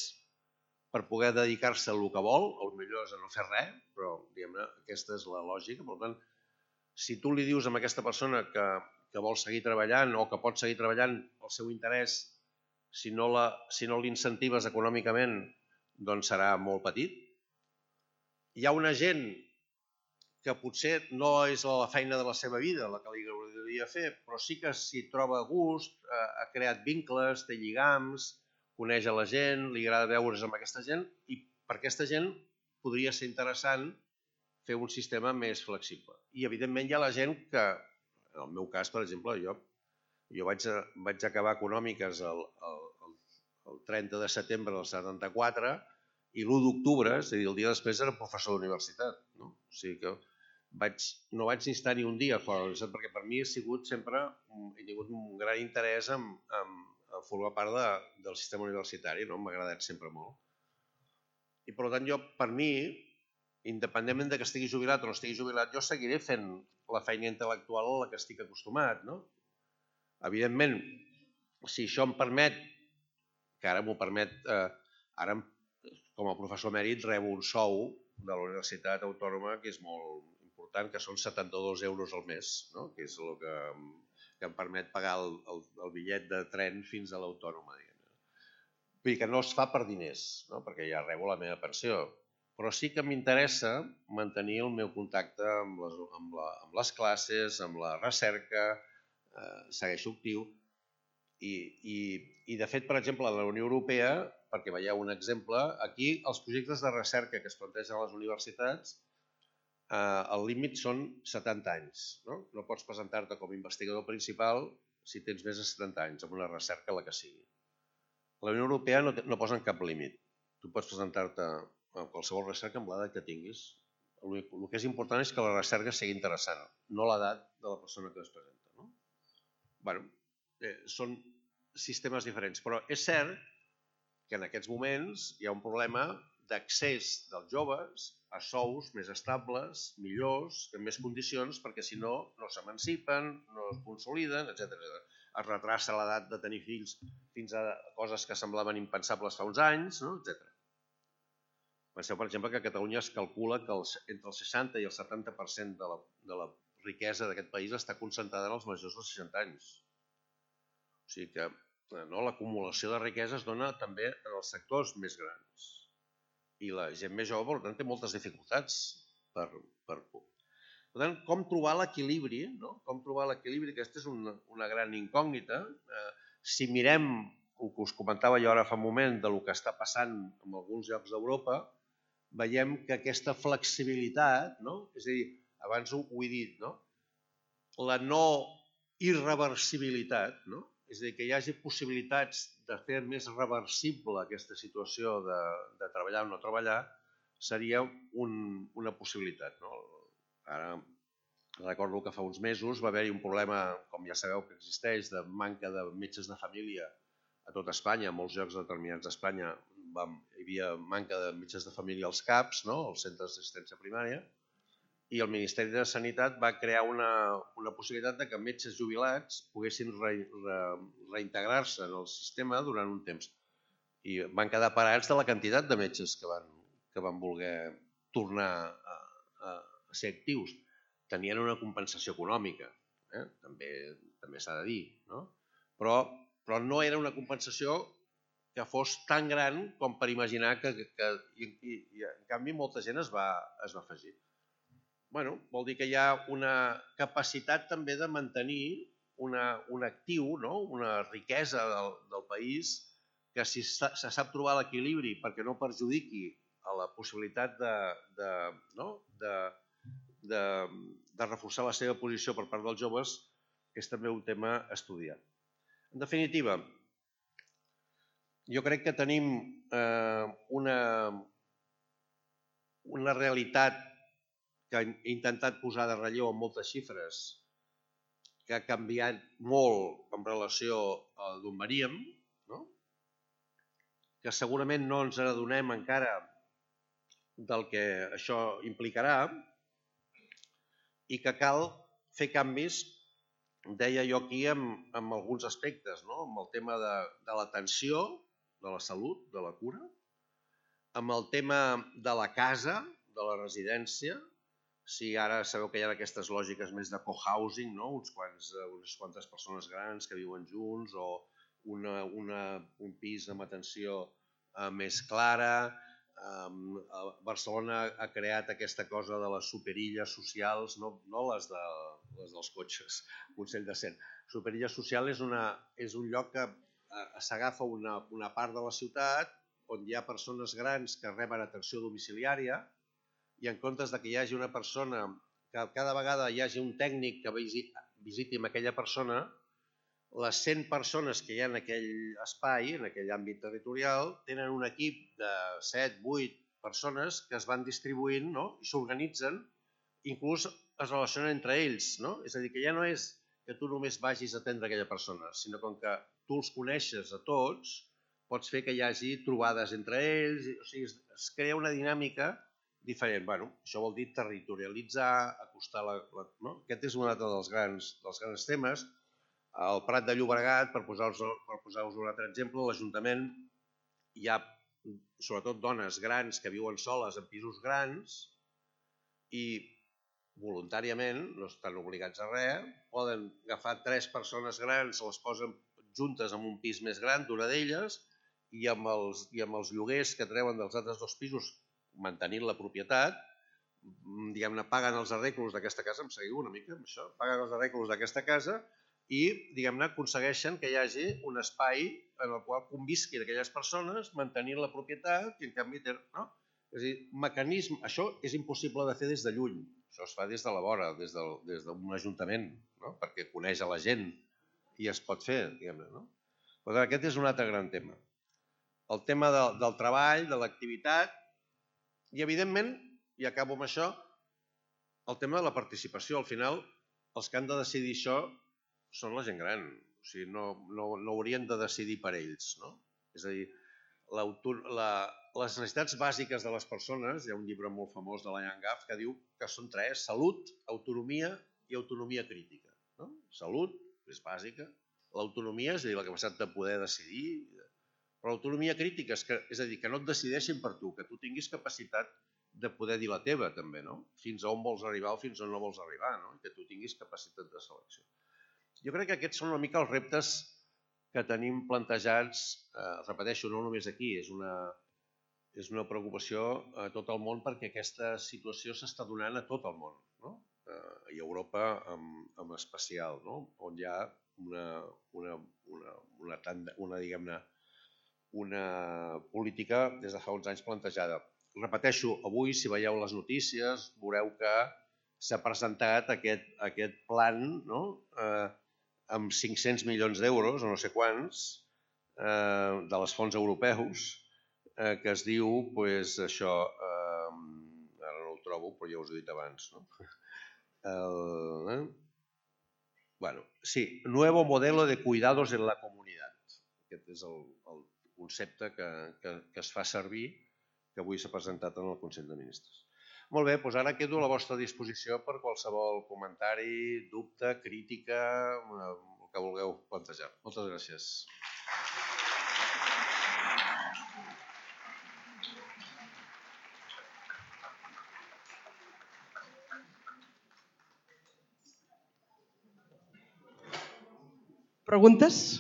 per poder dedicar-se a el que vol, potser és a no fer res, però aquesta és la lògica. Per tant, si tu li dius a aquesta persona que que vol seguir treballant o que pot seguir treballant, el seu interès, si no l'incentives econòmicament, doncs serà molt petit. Hi ha una gent que potser no és la feina de la seva vida la que li agradaria fer, però sí que s'hi troba a gust, ha creat vincles, té lligams, coneix a la gent, li agrada veure's amb aquesta gent i per aquesta gent podria ser interessant fer un sistema més flexible. I evidentment hi ha la gent que, en el meu cas, per exemple, jo vaig acabar econòmiques el 30 de setembre del 74 i l'1 d'octubre, és a dir, el dia després era professor d'universitat. O sigui que no vaig ni estar ni un dia fora de la universitat, perquè per mi he tingut un gran interès en formar part del sistema universitari, m'ha agradat sempre molt. I per tant, per mi, independentment que estigui jubilat o no estigui jubilat, jo seguiré fent la feina intel·lectual a la que estic acostumat. Evidentment, si això em permet, que ara m'ho permet, ara com a professor emèrit rebo un sou de la Universitat Autònoma que és molt important, que són 72 euros al mes, que és el que em permet pagar el bitllet de tren fins a l'Autònoma. Vull dir que no es fa per diners, perquè ja rebo la meva pensió, però sí que m'interessa mantenir el meu contacte amb les classes, amb la recerca, segueixo actiu. I de fet, per exemple, a la Unió Europea, perquè veieu un exemple, aquí els projectes de recerca que es plantegen a les universitats, el límit són 70 anys. No pots presentar-te com a investigador principal si tens més de 70 anys, amb una recerca la que sigui. A la Unió Europea no posen cap límit. Tu pots presentar-te a qualsevol recerca amb l'edat que tinguis. El que és important és que la recerca sigui interessant, no l'edat de la persona que es presenta. Bé, són sistemes diferents, però és cert que en aquests moments hi ha un problema d'accés dels joves a sous més estables, millors, en més condicions, perquè si no, no s'emancipen, no es consoliden, etc. Es retrassa l'edat de tenir fills fins a coses que semblaven impensables fa uns anys, etc. Penseu, per exemple, que a Catalunya es calcula que entre el 60 i el 70% de la riquesa d'aquest país està concentrada en els majors de 60 anys. O sigui que l'acumulació de riquesa es dona també en els sectors més grans. I la gent més jove, per tant, té moltes dificultats per por. Per tant, com trobar l'equilibri? Com trobar l'equilibri? Aquesta és una gran incògnita. Si mirem el que us comentava jo ara fa un moment del que està passant en alguns llocs d'Europa, veiem que aquesta flexibilitat, és a dir, abans ho he dit, la no irreversibilitat, és a dir, que hi hagi possibilitats de fer més reversible aquesta situació de treballar o no treballar, seria una possibilitat. Ara recordo que fa uns mesos va haver-hi un problema, com ja sabeu que existeix, de manca de metges de família a tot Espanya. En molts llocs determinats d'Espanya hi havia manca de metges de família als CAPs, als centres d'assistència primària, i el Ministeri de Sanitat va crear una possibilitat que metges jubilats poguessin reintegrar-se en el sistema durant un temps. I van quedar parats de la quantitat de metges que van voler tornar a ser actius. Tenien una compensació econòmica, també s'ha de dir, però no era una compensació que fos tan gran com per imaginar que en canvi molta gent es va afegir. Vol dir que hi ha una capacitat també de mantenir un actiu, una riquesa del país, que si se sap trobar l'equilibri perquè no perjudiqui a la possibilitat de reforçar la seva posició per part dels joves, és també un tema a estudiar. En definitiva, jo crec que tenim una realitat que he intentat posar de relleu amb moltes xifres, que ha canviat molt en relació a d'on veníem, que segurament no ens adonem encara del que això implicarà i que cal fer canvis, deia jo aquí, en alguns aspectes, amb el tema de l'atenció, de la salut, de la cura, amb el tema de la casa, de la residència, si ara sabeu que hi ha aquestes lògiques més de cohousing, unes quantes persones grans que viuen junts, o un pis amb atenció més clara. Barcelona ha creat aquesta cosa de les superilles socials, no les dels cotxes, Consell de Cent. Superilla social és un lloc que s'agafa una part de la ciutat on hi ha persones grans que reben atenció domiciliària, i en comptes que hi hagi una persona, que cada vegada hi hagi un tècnic que visiti amb aquella persona, les 100 persones que hi ha en aquell espai, en aquell àmbit territorial, tenen un equip de 7, 8 persones que es van distribuint i s'organitzen, inclús es relacionen entre ells. És a dir, que ja no és que tu només vagis a atendre aquella persona, sinó com que tu els coneixes a tots, pots fer que hi hagi trobades entre ells, o sigui, es crea una dinàmica diferent. Això vol dir territorialitzar, acostar Aquest és un altre dels grans temes. Al Prat de Llobregat, per posar-vos un altre exemple, l'Ajuntament hi ha sobretot dones grans que viuen soles en pisos grans i voluntàriament, no estan obligats a res, poden agafar 3 persones grans, les posen juntes en un pis més gran d'una d'elles, i amb els lloguers que treuen dels altres 2 pisos, mantenint la propietat, diguem-ne, paguen els arreglos d'aquesta casa, em seguiu una mica amb això? Paguen els arreglos d'aquesta casa i, diguem-ne, aconsegueixen que hi hagi un espai en el qual convisquin aquelles persones, mantenint la propietat, i en canvi tenen... És a dir, mecanisme... Això és impossible de fer des de lluny. Això es fa des de la vora, des d'un ajuntament, perquè coneix a la gent i es pot fer, diguem-ne. Però aquest és un altre gran tema. El tema del treball, de l'activitat, i evidentment, i acabo amb això, el tema de la participació. Al final, els que han de decidir això són la gent gran. O sigui, no haurien de decidir per ells. És a dir, les necessitats bàsiques de les persones, hi ha un llibre molt famós de la Ian Gaff que diu que són 3: salut, autonomia i autonomia crítica. Salut és bàsica, l'autonomia és a dir, la capacitat de poder decidir, però l'autonomia crítica és a dir, que no et decideixin per tu, que tu tinguis capacitat de poder dir la teva també, fins a on vols arribar o fins a on no vols arribar, que tu tinguis capacitat de selecció. Jo crec que aquests són una mica els reptes que tenim plantejats, repeteixo, no només aquí, és una preocupació a tot el món perquè aquesta situació s'està donant a tot el món, i a Europa en especial, on hi ha una política des de fa uns anys plantejada. Repeteixo, avui, si veieu les notícies, veureu que s'ha presentat aquest plan amb 500 milions d'euros, o no sé quants, de les fonts europeus, que es diu, això, ara no ho trobo, però ja us he dit abans, sí, Nuevo Modelo de Cuidados en la Comunitat. Aquest és el concepte que es fa servir, que avui s'ha presentat en el Consell de Ministres. Molt bé, doncs ara quedo a la vostra disposició per qualsevol comentari, dubte, crítica, el que vulgueu plantejar. Moltes gràcies. Preguntes?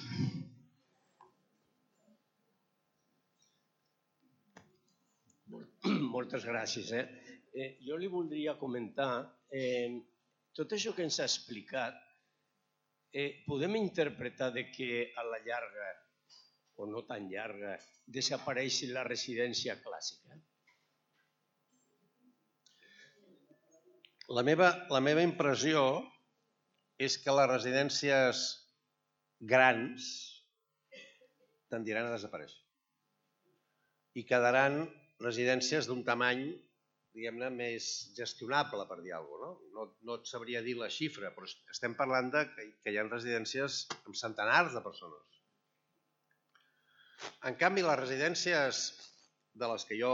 Moltes gràcies. Jo li voldria comentar, tot això que ens ha explicat, podem interpretar que a la llarga, o no tan llarga, desapareixi la residència clàssica? La meva impressió és que les residències grans tendiran a desaparèixer i quedaran residències d'un tamany, diguem-ne, més gestionable, per dir alguna cosa. No et sabria dir la xifra, però estem parlant que hi ha residències amb centenars de persones. En canvi, les residències de les que jo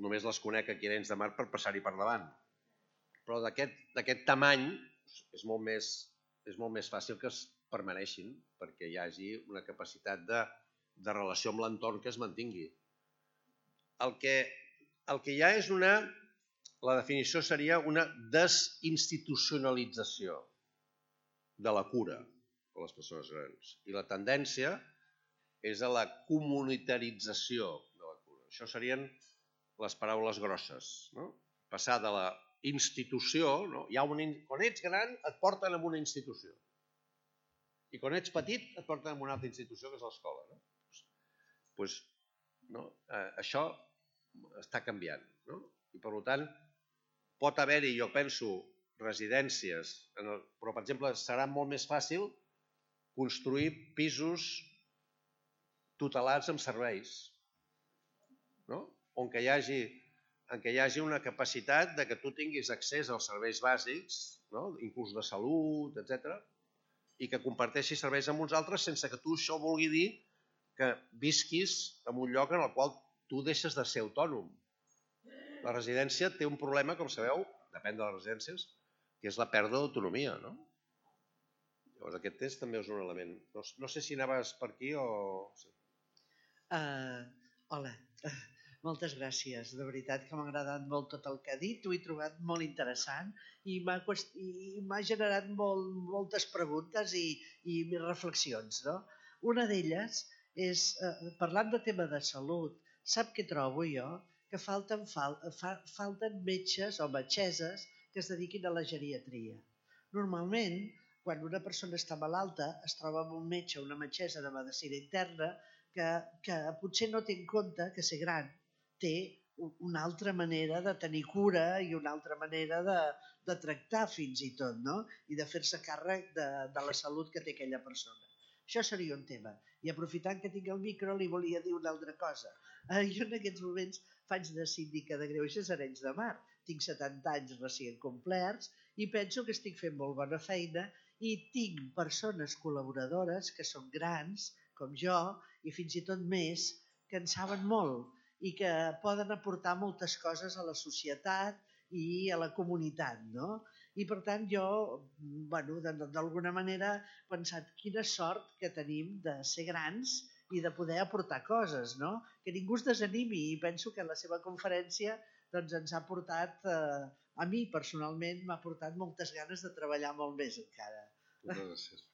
només les conec aquí a Arenys de Mar per passar-hi per davant, però d'aquest tamany és molt més fàcil que es permaneixin perquè hi hagi una capacitat de relació amb l'entorn que es mantingui. El que hi ha és una la definició seria una desinstitucionalització de la cura de les persones grans. I la tendència és a la comunitarització de la cura. Això serien les paraules grosses. No? Passar de la institució, no? Quan ets gran et porten a una institució. I quan ets petit et porten a una altra institució, que és l'escola. No? Pues, no? Això està canviant. No? I per tant, pot haver-hi, jo penso, residències, però per exemple serà molt més fàcil construir pisos tutelats amb serveis, no? En què hi hagi una capacitat de que tu tinguis accés als serveis bàsics, no? Inclús de salut, etc., i que comparteixis serveis amb uns altres sense que tu això vulgui dir que visquis en un lloc en el qual tu deixes de ser autònom. La residència té un problema, com sabeu, depèn de les residències, que és la pèrdua d'autonomia, no? Llavors aquest també és un element. No sé si anaves per aquí o... Hola, moltes gràcies. De veritat que m'ha agradat molt tot el que ha dit, ho he trobat molt interessant i m'ha generat moltes preguntes i reflexions. No? Una d'elles és, parlant de tema de salut, sap què trobo jo? Que falten metges o metgesses que es dediquin a la geriatria. Normalment, quan una persona està malalta, es troba amb un metge o una metgessa de medicina interna que potser no té en compte que ser gran té una altra manera de tenir cura i una altra manera de tractar fins i tot, no? I de fer-se càrrec de la salut que té aquella persona. Això seria un tema. I aprofitant que tinc el micro, li volia dir una altra cosa. Jo en aquests moments faig de síndica de Greuges a Arenys de Mar. Tinc 70 anys recient complerts i penso que estic fent molt bona feina i tinc persones col·laboradores que són grans, com jo, i fins i tot més, que en saben molt i que poden aportar moltes coses a la societat i a la comunitat, no? I per tant jo, d'alguna manera, he pensat quina sort que tenim de ser grans i de poder aportar coses, no? Que ningú es desanimi i penso que la seva conferència ens ha portat, a mi personalment, m'ha portat moltes ganes de treballar molt més encara. Moltes gràcies.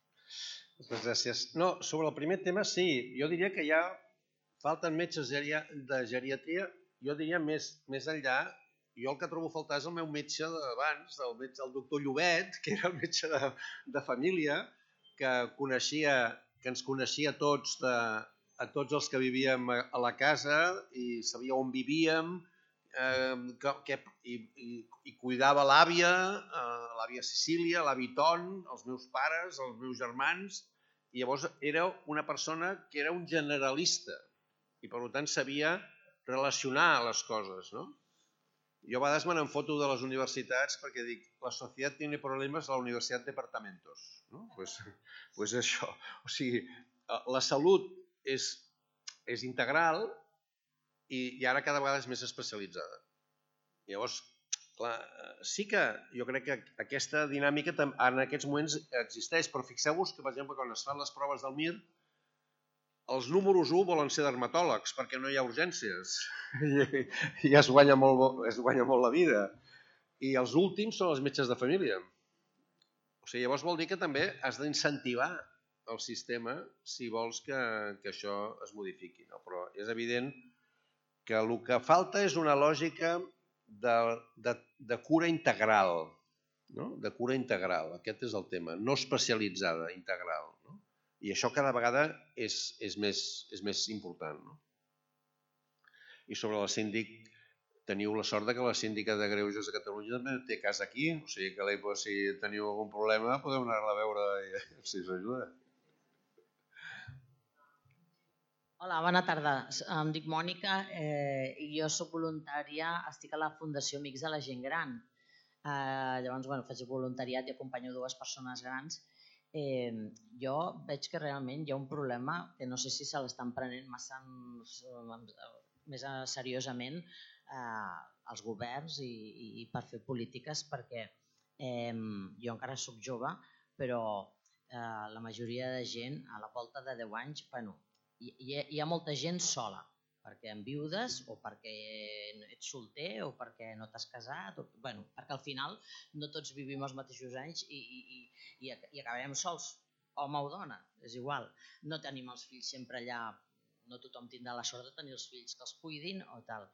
Moltes gràcies. No, sobre el primer tema, sí. Jo diria que ja falten metges de geriatria. Jo diria més enllà, jo el que trobo a faltar és el meu metge d'abans, el doctor Llobet, que era el metge de família, que ens coneixia a tots els que vivíem a la casa i sabia on vivíem i cuidava l'àvia Cecília, l'avi Ton, els meus pares, els meus germans, i llavors era una persona que era un generalista i per tant sabia relacionar les coses, no? Jo a vegades me n'enfoto de les universitats perquè dic, la societat tiene problemes, la universitat departamentos. Pues això. O sigui, la salut és integral i ara cada vegada és més especialitzada. Llavors, clar, sí que jo crec que aquesta dinàmica en aquests moments existeix, però fixeu-vos que, per exemple, quan es fan les proves del MIR, els números 1 volen ser dermatòlegs perquè no hi ha urgències i es guanya molt la vida. I els últims són els metges de família. O sigui, llavors vol dir que també has d'incentivar el sistema si vols que això es modifiqui. Però és evident que el que falta és una lògica de cura integral. De cura integral, aquest és el tema. No especialitzada, integral. I això cada vegada és més important. I sobre la síndic, teniu la sort que la síndica de Greuges de Catalunya també té casa aquí, o sigui que si teniu algun problema podeu anar-la a veure si us ajuda. Hola, bona tarda. Em dic Mònica i jo soc voluntària, estic a la Fundació Amics de la Gent Gran. Llavors, faig voluntariat i acompanyo 2 persones grans. Jo veig que realment hi ha un problema que no sé si se l'estan prenent més seriosament els governs i per fer polítiques, perquè jo encara soc jove, però la majoria de gent a la volta de 10 anys, hi ha molta gent sola, perquè enviudes o perquè ets solter o perquè no t'has casat, perquè al final no tots vivim els mateixos anys i acabarem sols, home o dona, és igual. No tenim els fills sempre allà, no tothom tindrà la sort de tenir els fills que els cuidin o tal.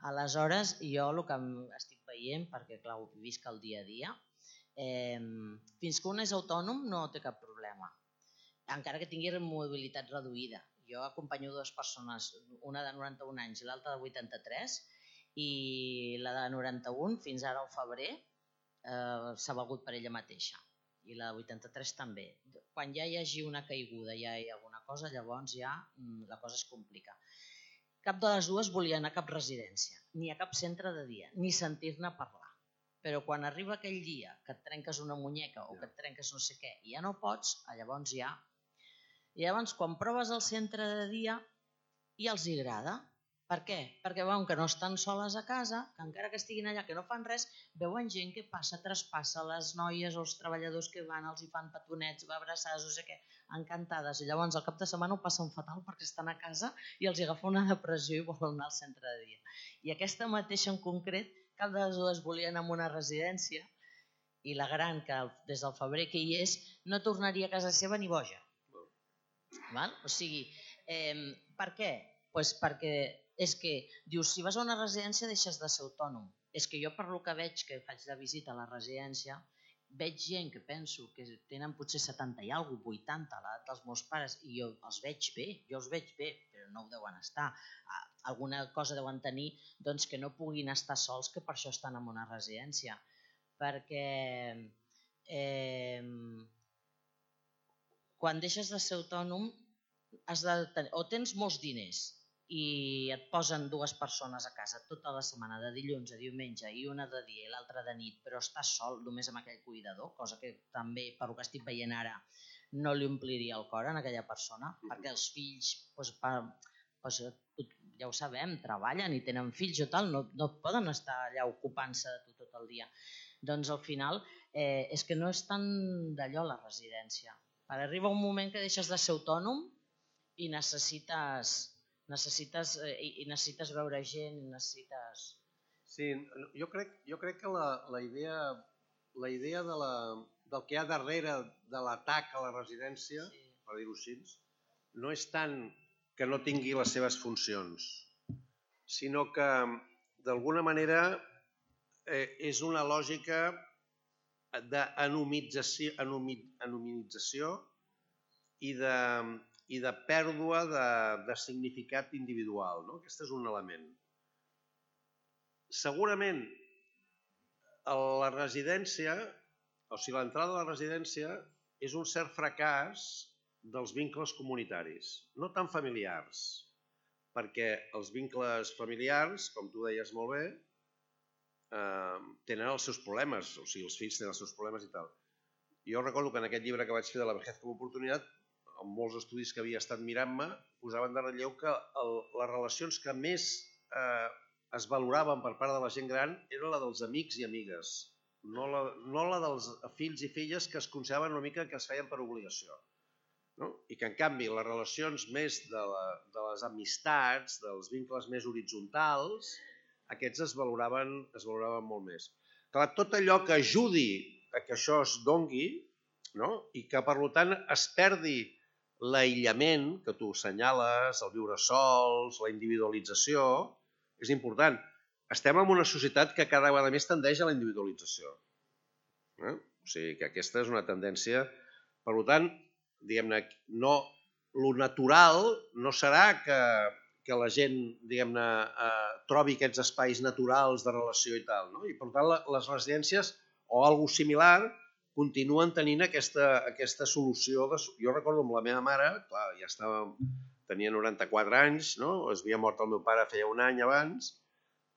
Aleshores, jo el que estic veient, perquè clar, ho visc el dia a dia, fins que un és autònom no té cap problema, encara que tingui mobilitat reduïda. Jo acompanyo dues persones, una de 91 anys i l'altra de 83, i la de 91 fins ara al febrer s'ha valgut per ella mateixa i la de 83 també. Quan ja hi hagi una caiguda, ja hi ha alguna cosa, llavors ja la cosa es complica. Cap de les dues volia anar a cap residència, ni a cap centre de dia, ni sentir-ne parlar. Però quan arriba aquell dia que et trenques una muñeca o que et trenques no sé què i ja no pots, llavors ja... I llavors, quan proves el centre de dia, ja els agrada. Per què? Perquè veuen que no estan soles a casa, que encara que estiguin allà, que no fan res, veuen gent que passa, traspassa, les noies o els treballadors que van, els hi fan petonets, abraçades, no sé què, encantades. I llavors, al cap de setmana ho passen fatal perquè estan a casa i els agafa una depressió i volen anar al centre de dia. I aquesta mateixa en concret, cap de les dues volien anar a una residència i la gran, que des del febrer que hi és, no tornaria a casa seva ni boja. O sigui, per què? Perquè és que, dius, si vas a una residència deixes de ser autònom. És que jo per lo que veig, que faig de visita a la residència, veig gent que penso que tenen potser 70 i alguna cosa, 80, l'edat dels meus pares, i jo els veig bé, però no ho deuen estar. Alguna cosa deuen tenir doncs, que no puguin estar sols, que per això estan en una residència. Perquè quan deixes de ser autònom o tens molts diners i et posen dues persones a casa tota la setmana, de dilluns a diumenge, i una de dia i l'altra de nit, però estàs sol només amb aquell cuidador, cosa que també, per el que estic veient ara, no li ompliria el cor a aquella persona, perquè els fills, ja ho sabem, treballen i tenen fills o tal, no poden estar allà ocupant-se de tu tot el dia. Doncs al final és que no és tan d'allò la residència. Arriba un moment que deixes de ser autònom i necessites veure gent, necessites... Sí, jo crec que la idea del que hi ha darrere de l'atac a la residència, per dir-ho així, no és tant que no tingui les seves funcions, sinó que d'alguna manera és una lògica d'anonimització i de pèrdua de significat individual. Aquest és un element. Segurament la residència, o sigui, l'entrada a la residència és un cert fracàs dels vincles comunitaris, no tan familiars, perquè els vincles familiars, com tu deies molt bé, tenen els seus problemes, o sigui, els fills tenen els seus problemes i tal. Jo recordo que en aquest llibre que vaig fer de la vejez com a oportunitat, en molts estudis que havia estat mirant-me, posaven de relleu que les relacions que més es valoraven per part de la gent gran era la dels amics i amigues, no la dels fills i filles que es consideraven una mica que es feien per obligació. I que en canvi les relacions més de les amistats, dels vincles més horitzontals, aquests es valoraven molt més. Clar, tot allò que ajudi a que això es dongui i que per tant es perdi l'aïllament que tu assenyales, el viure sols, la individualització, és important. Estem en una societat que cada vegada més tendeix a la individualització. O sigui que aquesta és una tendència. Per tant, diguem-ne, lo natural no serà que la gent, diguem-ne, trobi aquests espais naturals de relació i tal. I per tant, les residències o alguna cosa similar continuen tenint aquesta solució. Jo recordo amb la meva mare, clar, ja tenia 94 anys, es havia mort el meu pare feia un any abans,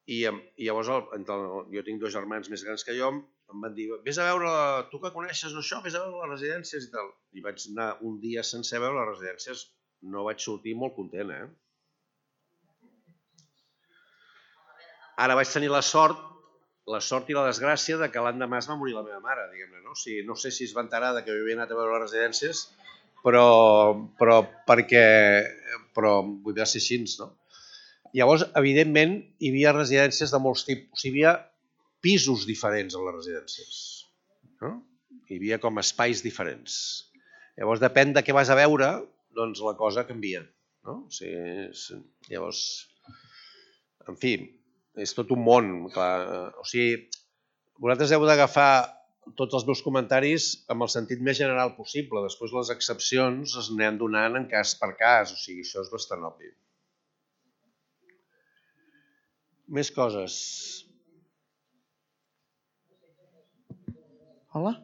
i llavors jo tinc dos germans més grans que jo, em van dir, vés a veure, tu que coneixes això, vés a veure les residències i tal. I vaig anar un dia sencer a veure les residències, no vaig sortir molt content, Ara vaig tenir la sort i la desgràcia de que l'endemà es va morir la meva mare, diguem-ne, no? No sé si es va enterar que jo havia anat a veure les residències, però vull dir, ser així, no? Llavors, evidentment, hi havia residències de molts tipus. O sigui, hi havia pisos diferents a les residències. No? Hi havia com espais diferents. Llavors, depèn de què vas a veure, doncs la cosa canvia. No? O sigui, llavors, en fi, és tot un món. Clar. O sigui, vosaltres heu d'agafar tots els meus comentaris amb el sentit més general possible. Després les excepcions es aniran donant en cas per cas. O sigui, això és bastant obvi. Més coses. Hola?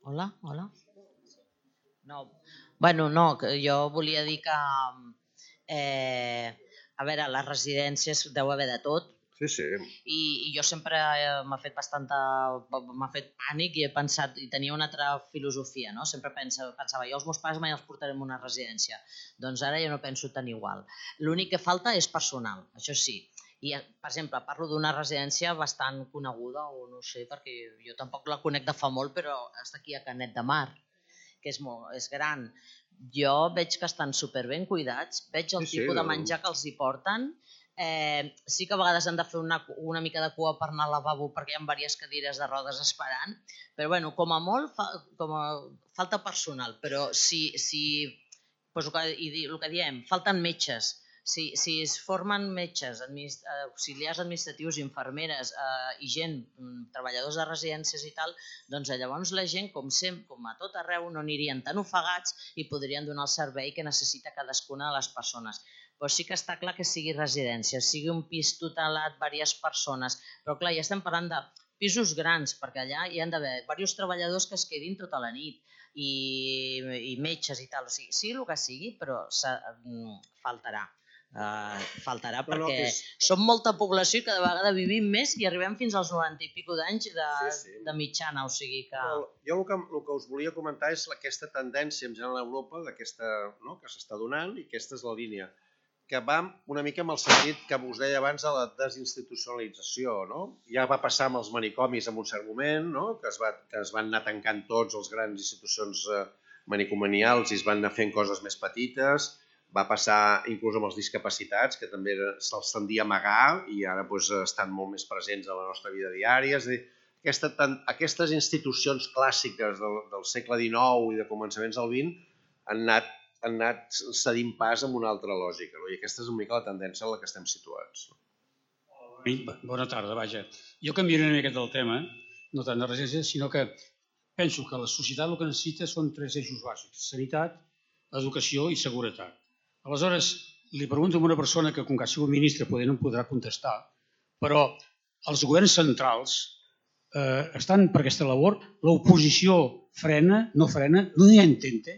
Hola, hola. No, bueno, no, que jo volia dir que, a veure, a les residències deu haver de tot. Sí. I jo sempre m'ha fet pànic i he pensat, i tenia una altra filosofia, no? Sempre pensava, jo els meus pares mai els portarem a una residència. Doncs ara jo no penso tan igual. L'únic que falta és personal, això sí. I, per exemple, parlo d'una residència bastant coneguda, o no sé, perquè jo tampoc la conec de fa molt, però està aquí a Canet de Mar, que és gran. Jo veig que estan superben cuidats, veig el tipus de menjar que els hi porten. Sí que a vegades han de fer una mica de cua per anar al lavabo perquè hi ha diverses cadires de rodes esperant, però bueno, com a molt falta personal, però el que diem, falten metges. Si es formen metges, auxiliars administratius, infermeres i gent, treballadors de residències i tal, doncs llavors la gent, com a tot arreu, no anirien tan ofegats i podrien donar el servei que necessita cadascuna de les persones. Però sí que està clar que sigui residència, sigui un pis tutelat, diverses persones, però clar, ja estem parlant de pisos grans, perquè allà hi han d'haver diversos treballadors que es quedin tota la nit i metges i tal, o sigui el que sigui, però faltarà. Perquè som molta població i cada vegada vivim més i arribem fins als 90 i pico d'anys de mitjana, o sigui que... Jo el que us volia comentar és aquesta tendència en general a Europa que s'està donant, i aquesta és la línia, que va una mica amb el sentit que us deia abans de la desinstitucionalització. Ja va passar amb els manicomis en un cert moment, que es van anar tancant tots els grans institucions manicomanials i es van anar fent coses més petites. Va passar inclús amb els discapacitats, que també se'ls tendia a amagar i ara estan molt més presents a la nostra vida diària. És a dir, aquestes institucions clàssiques del segle XIX i de començaments del XX han anat cedint pas amb una altra lògica. I aquesta és una mica la tendència en la que estem situats. Bona tarda, vaja. Jo canviaré una miqueta del tema, no tant de residències, sinó que penso que la societat el que necessita són 3 eixos bàsics: sanitat, educació i seguretat. Aleshores, li pregunto a una persona que, com que ha sigut ministre, no em podrà contestar, però els governs centrals estan per aquesta labor, l'oposició no frena, no hi intenta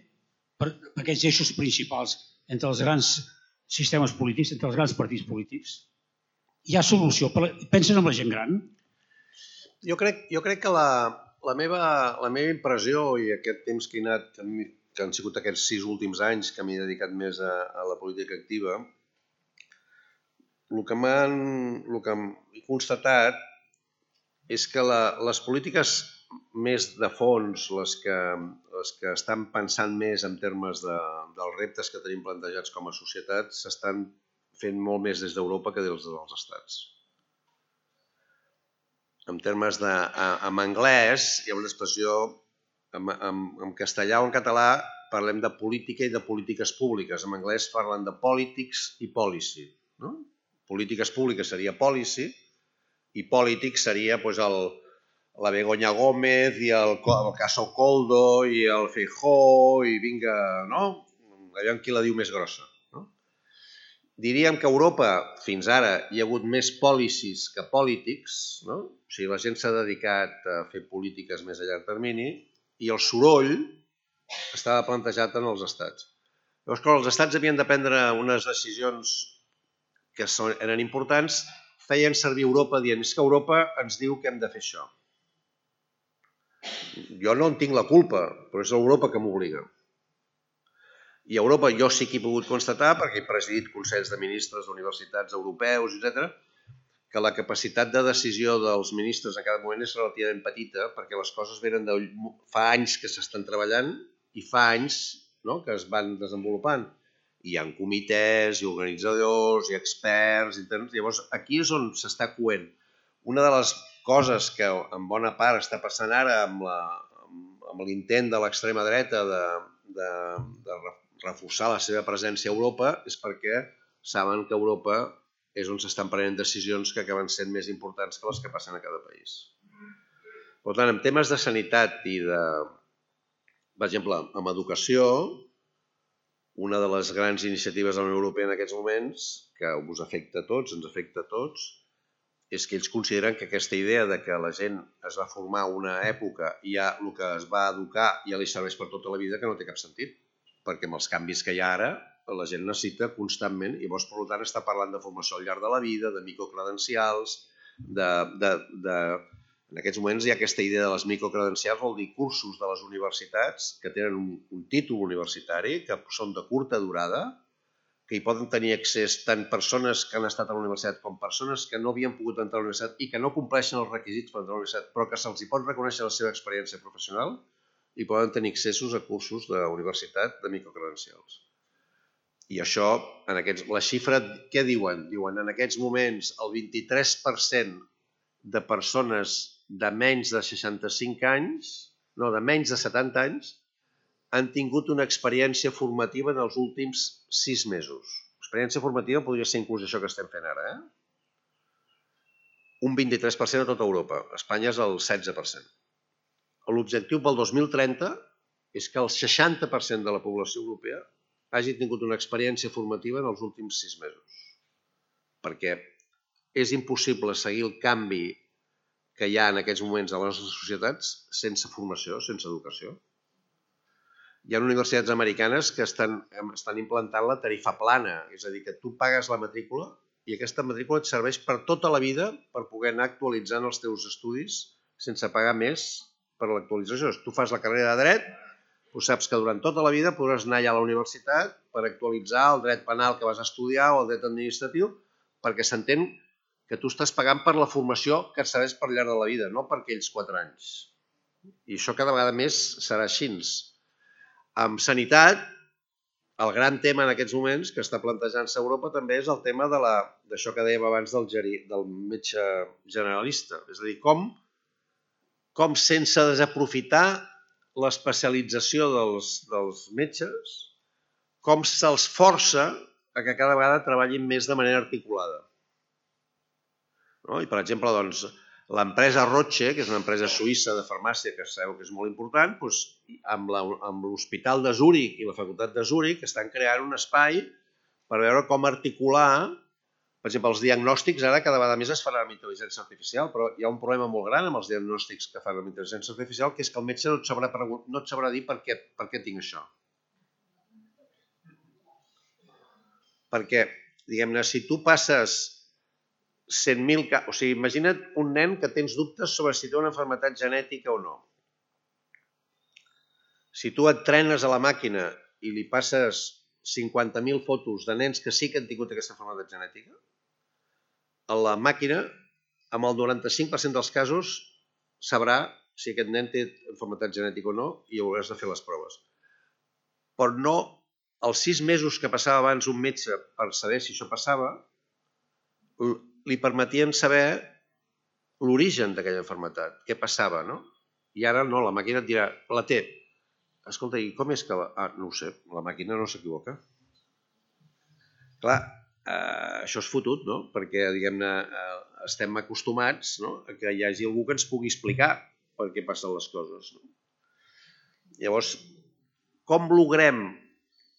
per aquests eixos principals entre els grans sistemes polítics, entre els grans partits polítics. Hi ha solució. Pensen en la gent gran? Jo crec que la meva impressió i aquest temps que han sigut aquests 6 últims anys que m'he dedicat més a la política activa, el que he constatat és que les polítiques més de fons, les que estan pensant més en termes dels reptes que tenim plantejats com a societat, s'estan fent molt més des d'Europa que des dels estats. En termes en anglès hi ha una expressió, en castellà o en català parlem de política i de polítiques públiques. En anglès parlen de politics i policy. Polítiques públiques seria policy i politics seria la Begoña Gómez i el caso Coldo i el Feijóo i vinga, allò en qui la diu més grossa. Diríem que a Europa fins ara hi ha hagut més policies que polítics, o sigui, la gent s'ha dedicat a fer polítiques més a llarg termini i el soroll estava plantejat en els estats. Llavors, quan els estats havien de prendre unes decisions que eren importants, feien servir Europa dient és que Europa ens diu que hem de fer això. Jo no en tinc la culpa, però és Europa que m'obliga. I a Europa jo sí que he pogut constatar, perquè he presidit consells de ministres d'universitats europeus, etc., que la capacitat de decisió dels ministres en cada moment és relativament petita, perquè les coses venen de fa anys que s'estan treballant i fa anys que es van desenvolupant. Hi ha comitès, i organitzadors, i experts, llavors aquí és on s'està coent. Una de les coses que en bona part està passant ara amb l'intent de l'extrema dreta de reforçar la seva presència a Europa és perquè saben que Europa és on s'estan prenent decisions que acaben sent més importants que les que passen a cada país. Per tant, en temes de sanitat i de, per exemple, amb educació, una de les grans iniciatives de la Unió Europea en aquests moments, que us afecta a tots, ens afecta a tots, és que ells consideren que aquesta idea de que la gent es va formar una època i ja el que es va educar ja li serveix per tota la vida, que no té cap sentit, perquè amb els canvis que hi ha ara la gent necessita constantment, i llavors per tant està parlant de formació al llarg de la vida, de microcredencials, en aquests moments hi ha aquesta idea de les microcredencials, vol dir cursos de les universitats que tenen un títol universitari, que són de curta durada, que hi poden tenir accés tant persones que han estat a la universitat com persones que no havien pogut entrar a la universitat i que no compleixen els requisits per entrar a la universitat, però que se'ls pot reconèixer la seva experiència professional i poden tenir accessos a cursos de universitat de microcredencials. I això, la xifra, què diuen? Diuen, en aquests moments, el 23% de persones de menys de 65 anys, no, de menys de 70 anys, han tingut una experiència formativa en els últims 6 mesos. Experiència formativa podria ser inclús això que estem fent ara. Un 23% a tota Europa. A Espanya és el 16%. L'objectiu pel 2030 és que el 60% de la població europea hagi tingut una experiència formativa en els últims 6 mesos. Perquè és impossible seguir el canvi que hi ha en aquests moments a les nostres societats sense formació, sense educació. Hi ha universitats americanes que estan implantant la tarifa plana, és a dir, que tu pagues la matrícula i aquesta matrícula et serveix per tota la vida per poder anar actualitzant els teus estudis sense pagar més per l'actualització. Tu fas la carrera de dret, tu saps que durant tota la vida podràs anar allà a la universitat per actualitzar el dret penal que vas estudiar o el dret administratiu, perquè s'entén que tu estàs pagant per la formació que et serveix per llarg de la vida, no per aquells 4 anys. I això cada vegada més serà així. Amb sanitat, el gran tema en aquests moments que està plantejant-se a Europa també és el tema d'això que dèiem abans del metge generalista. És a dir, com sense desaprofitar l'especialització dels metges, com se'ls força a que cada vegada treballin més de manera articulada. I, per exemple, l'empresa Roche, que és una empresa suïssa de farmàcia que sabeu que és molt important, amb l'Hospital de Zúrich i la Facultat de Zúrich estan creant un espai per veure com articular. Per exemple, els diagnòstics ara cada vegada més es faran amb intel·ligència artificial, però hi ha un problema molt gran amb els diagnòstics que fan amb intel·ligència artificial, que és que el metge no et sabrà dir per què tinc això. Perquè, diguem-ne, si tu passes 100.000 casos, o sigui, imagina't un nen que tens dubtes sobre si té una malaltia genètica o no. Si tu et trenes a la màquina i li passes 50.000 fotos de nens que sí que han tingut aquesta malaltia genètica, a la màquina, amb el 95% dels casos, sabrà si aquest nen té malaltia genètica o no i hauràs de fer les proves. Però no, els 6 mesos que passava abans un metge per saber si això passava, li permetien saber l'origen d'aquella malaltia, què passava, no? I ara no, la màquina et dirà, la té. Escolta, i com és que no ho sé, la màquina no s'equivoca. Clar, això és fotut, no? Perquè, diguem-ne, estem acostumats a que hi hagi algú que ens pugui explicar per què passen les coses. Llavors, com logrem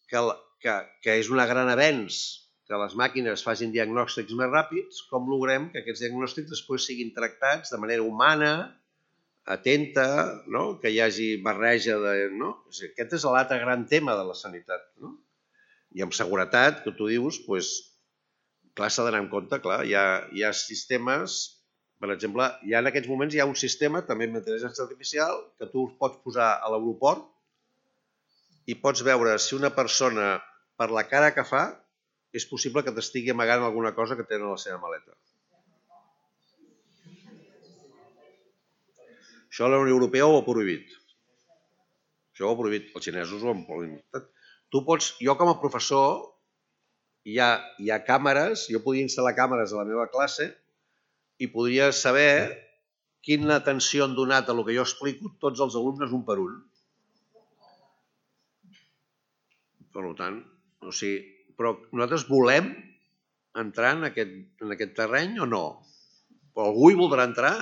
que és un gran avenç que les màquines facin diagnòstics més ràpids, com logrem que aquests diagnòstics després siguin tractats de manera humana, atenta, que hi hagi barreja de... Aquest és l'altre gran tema de la sanitat. I amb seguretat, que tu dius, clar, s'ha d'anar en compte, clar, hi ha sistemes, per exemple, en aquests moments hi ha un sistema, també amb intel·ligència artificial, que tu pots posar a l'aeroport i pots veure si una persona, per la cara que fa, és possible que t'estigui amagant alguna cosa que té a la seva maleta. Això la Unió Europea ho ha prohibit. Això ho ha prohibit. Els xinesos ho han prohibit. Tu pots, jo com a professor, hi ha càmeres, jo podia instal·lar càmeres a la meva classe i podria saber quina atenció han donat a el que jo explico tots els alumnes un per un. Per tant, o sigui, però nosaltres volem entrar en aquest terreny o no? Algú hi voldrà entrar?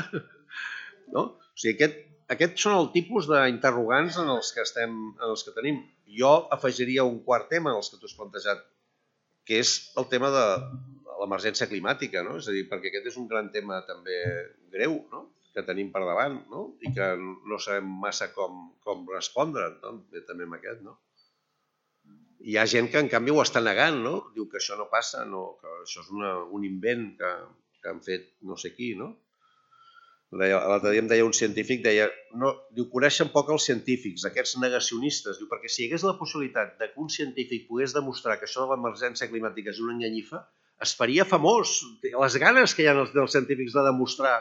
No? O sigui, aquests són el tipus d'interrogants en els que tenim. Jo afegiria un quart tema en els que tu has plantejat, que és el tema de l'emergència climàtica, no? És a dir, perquè aquest és un gran tema també greu, no? Que tenim per davant, no? I que no sabem massa com respondre, no? També amb aquest, no? Hi ha gent que en canvi ho està negant, no? Diu que això no passa, que això és un invent que han fet no sé qui, no? L'altre dia em deia un científic, diu, coneixen poc els científics, aquests negacionistes, diu, perquè si hi hagués la possibilitat que un científic pogués demostrar que això de l'emergència climàtica és una enganyifa, es faria famós. Les ganes que hi ha dels científics de demostrar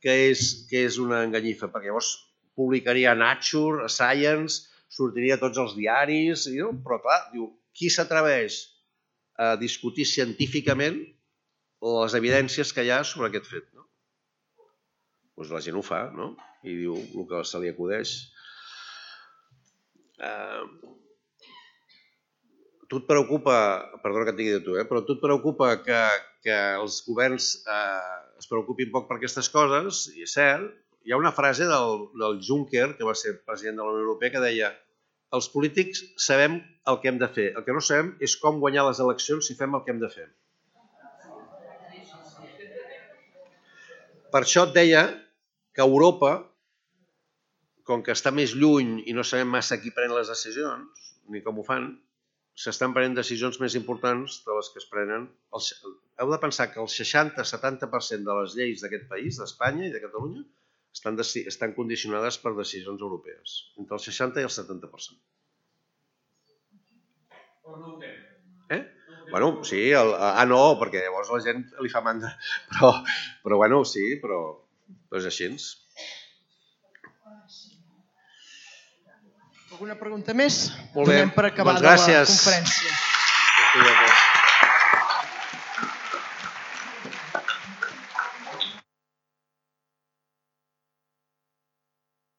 que és una enganyifa, perquè llavors publicaria a Nature, a Science, sortiria a tots els diaris, però clar, diu, qui s'atreveix a discutir científicament les evidències que hi ha sobre aquest fet, no? Doncs la gent ho fa, no? I diu el que se li acudeix. Tu et preocupa, perdona que et digui de tu, però tu et preocupa que els governs es preocupin poc per aquestes coses, i és cert. Hi ha una frase del Juncker, que va ser president de la Unió Europea, que deia: els polítics sabem el que hem de fer, el que no sabem és com guanyar les eleccions si fem el que hem de fer. Per això et deia que Europa, com que està més lluny i no sabem massa qui pren les decisions, ni com ho fan, s'estan prenent decisions més importants de les que es prenen. Heu de pensar que el 60-70% de les lleis d'aquest país, d'Espanya i de Catalunya, estan condicionades per decisions europees, entre el 60 i el 70%. Però no ho té. Bueno, sí, no, perquè llavors la gent li fa mandra. Però bueno, sí, però és així. Alguna pregunta més? Molt bé, donem per acabada doncs gràcies. la conferència.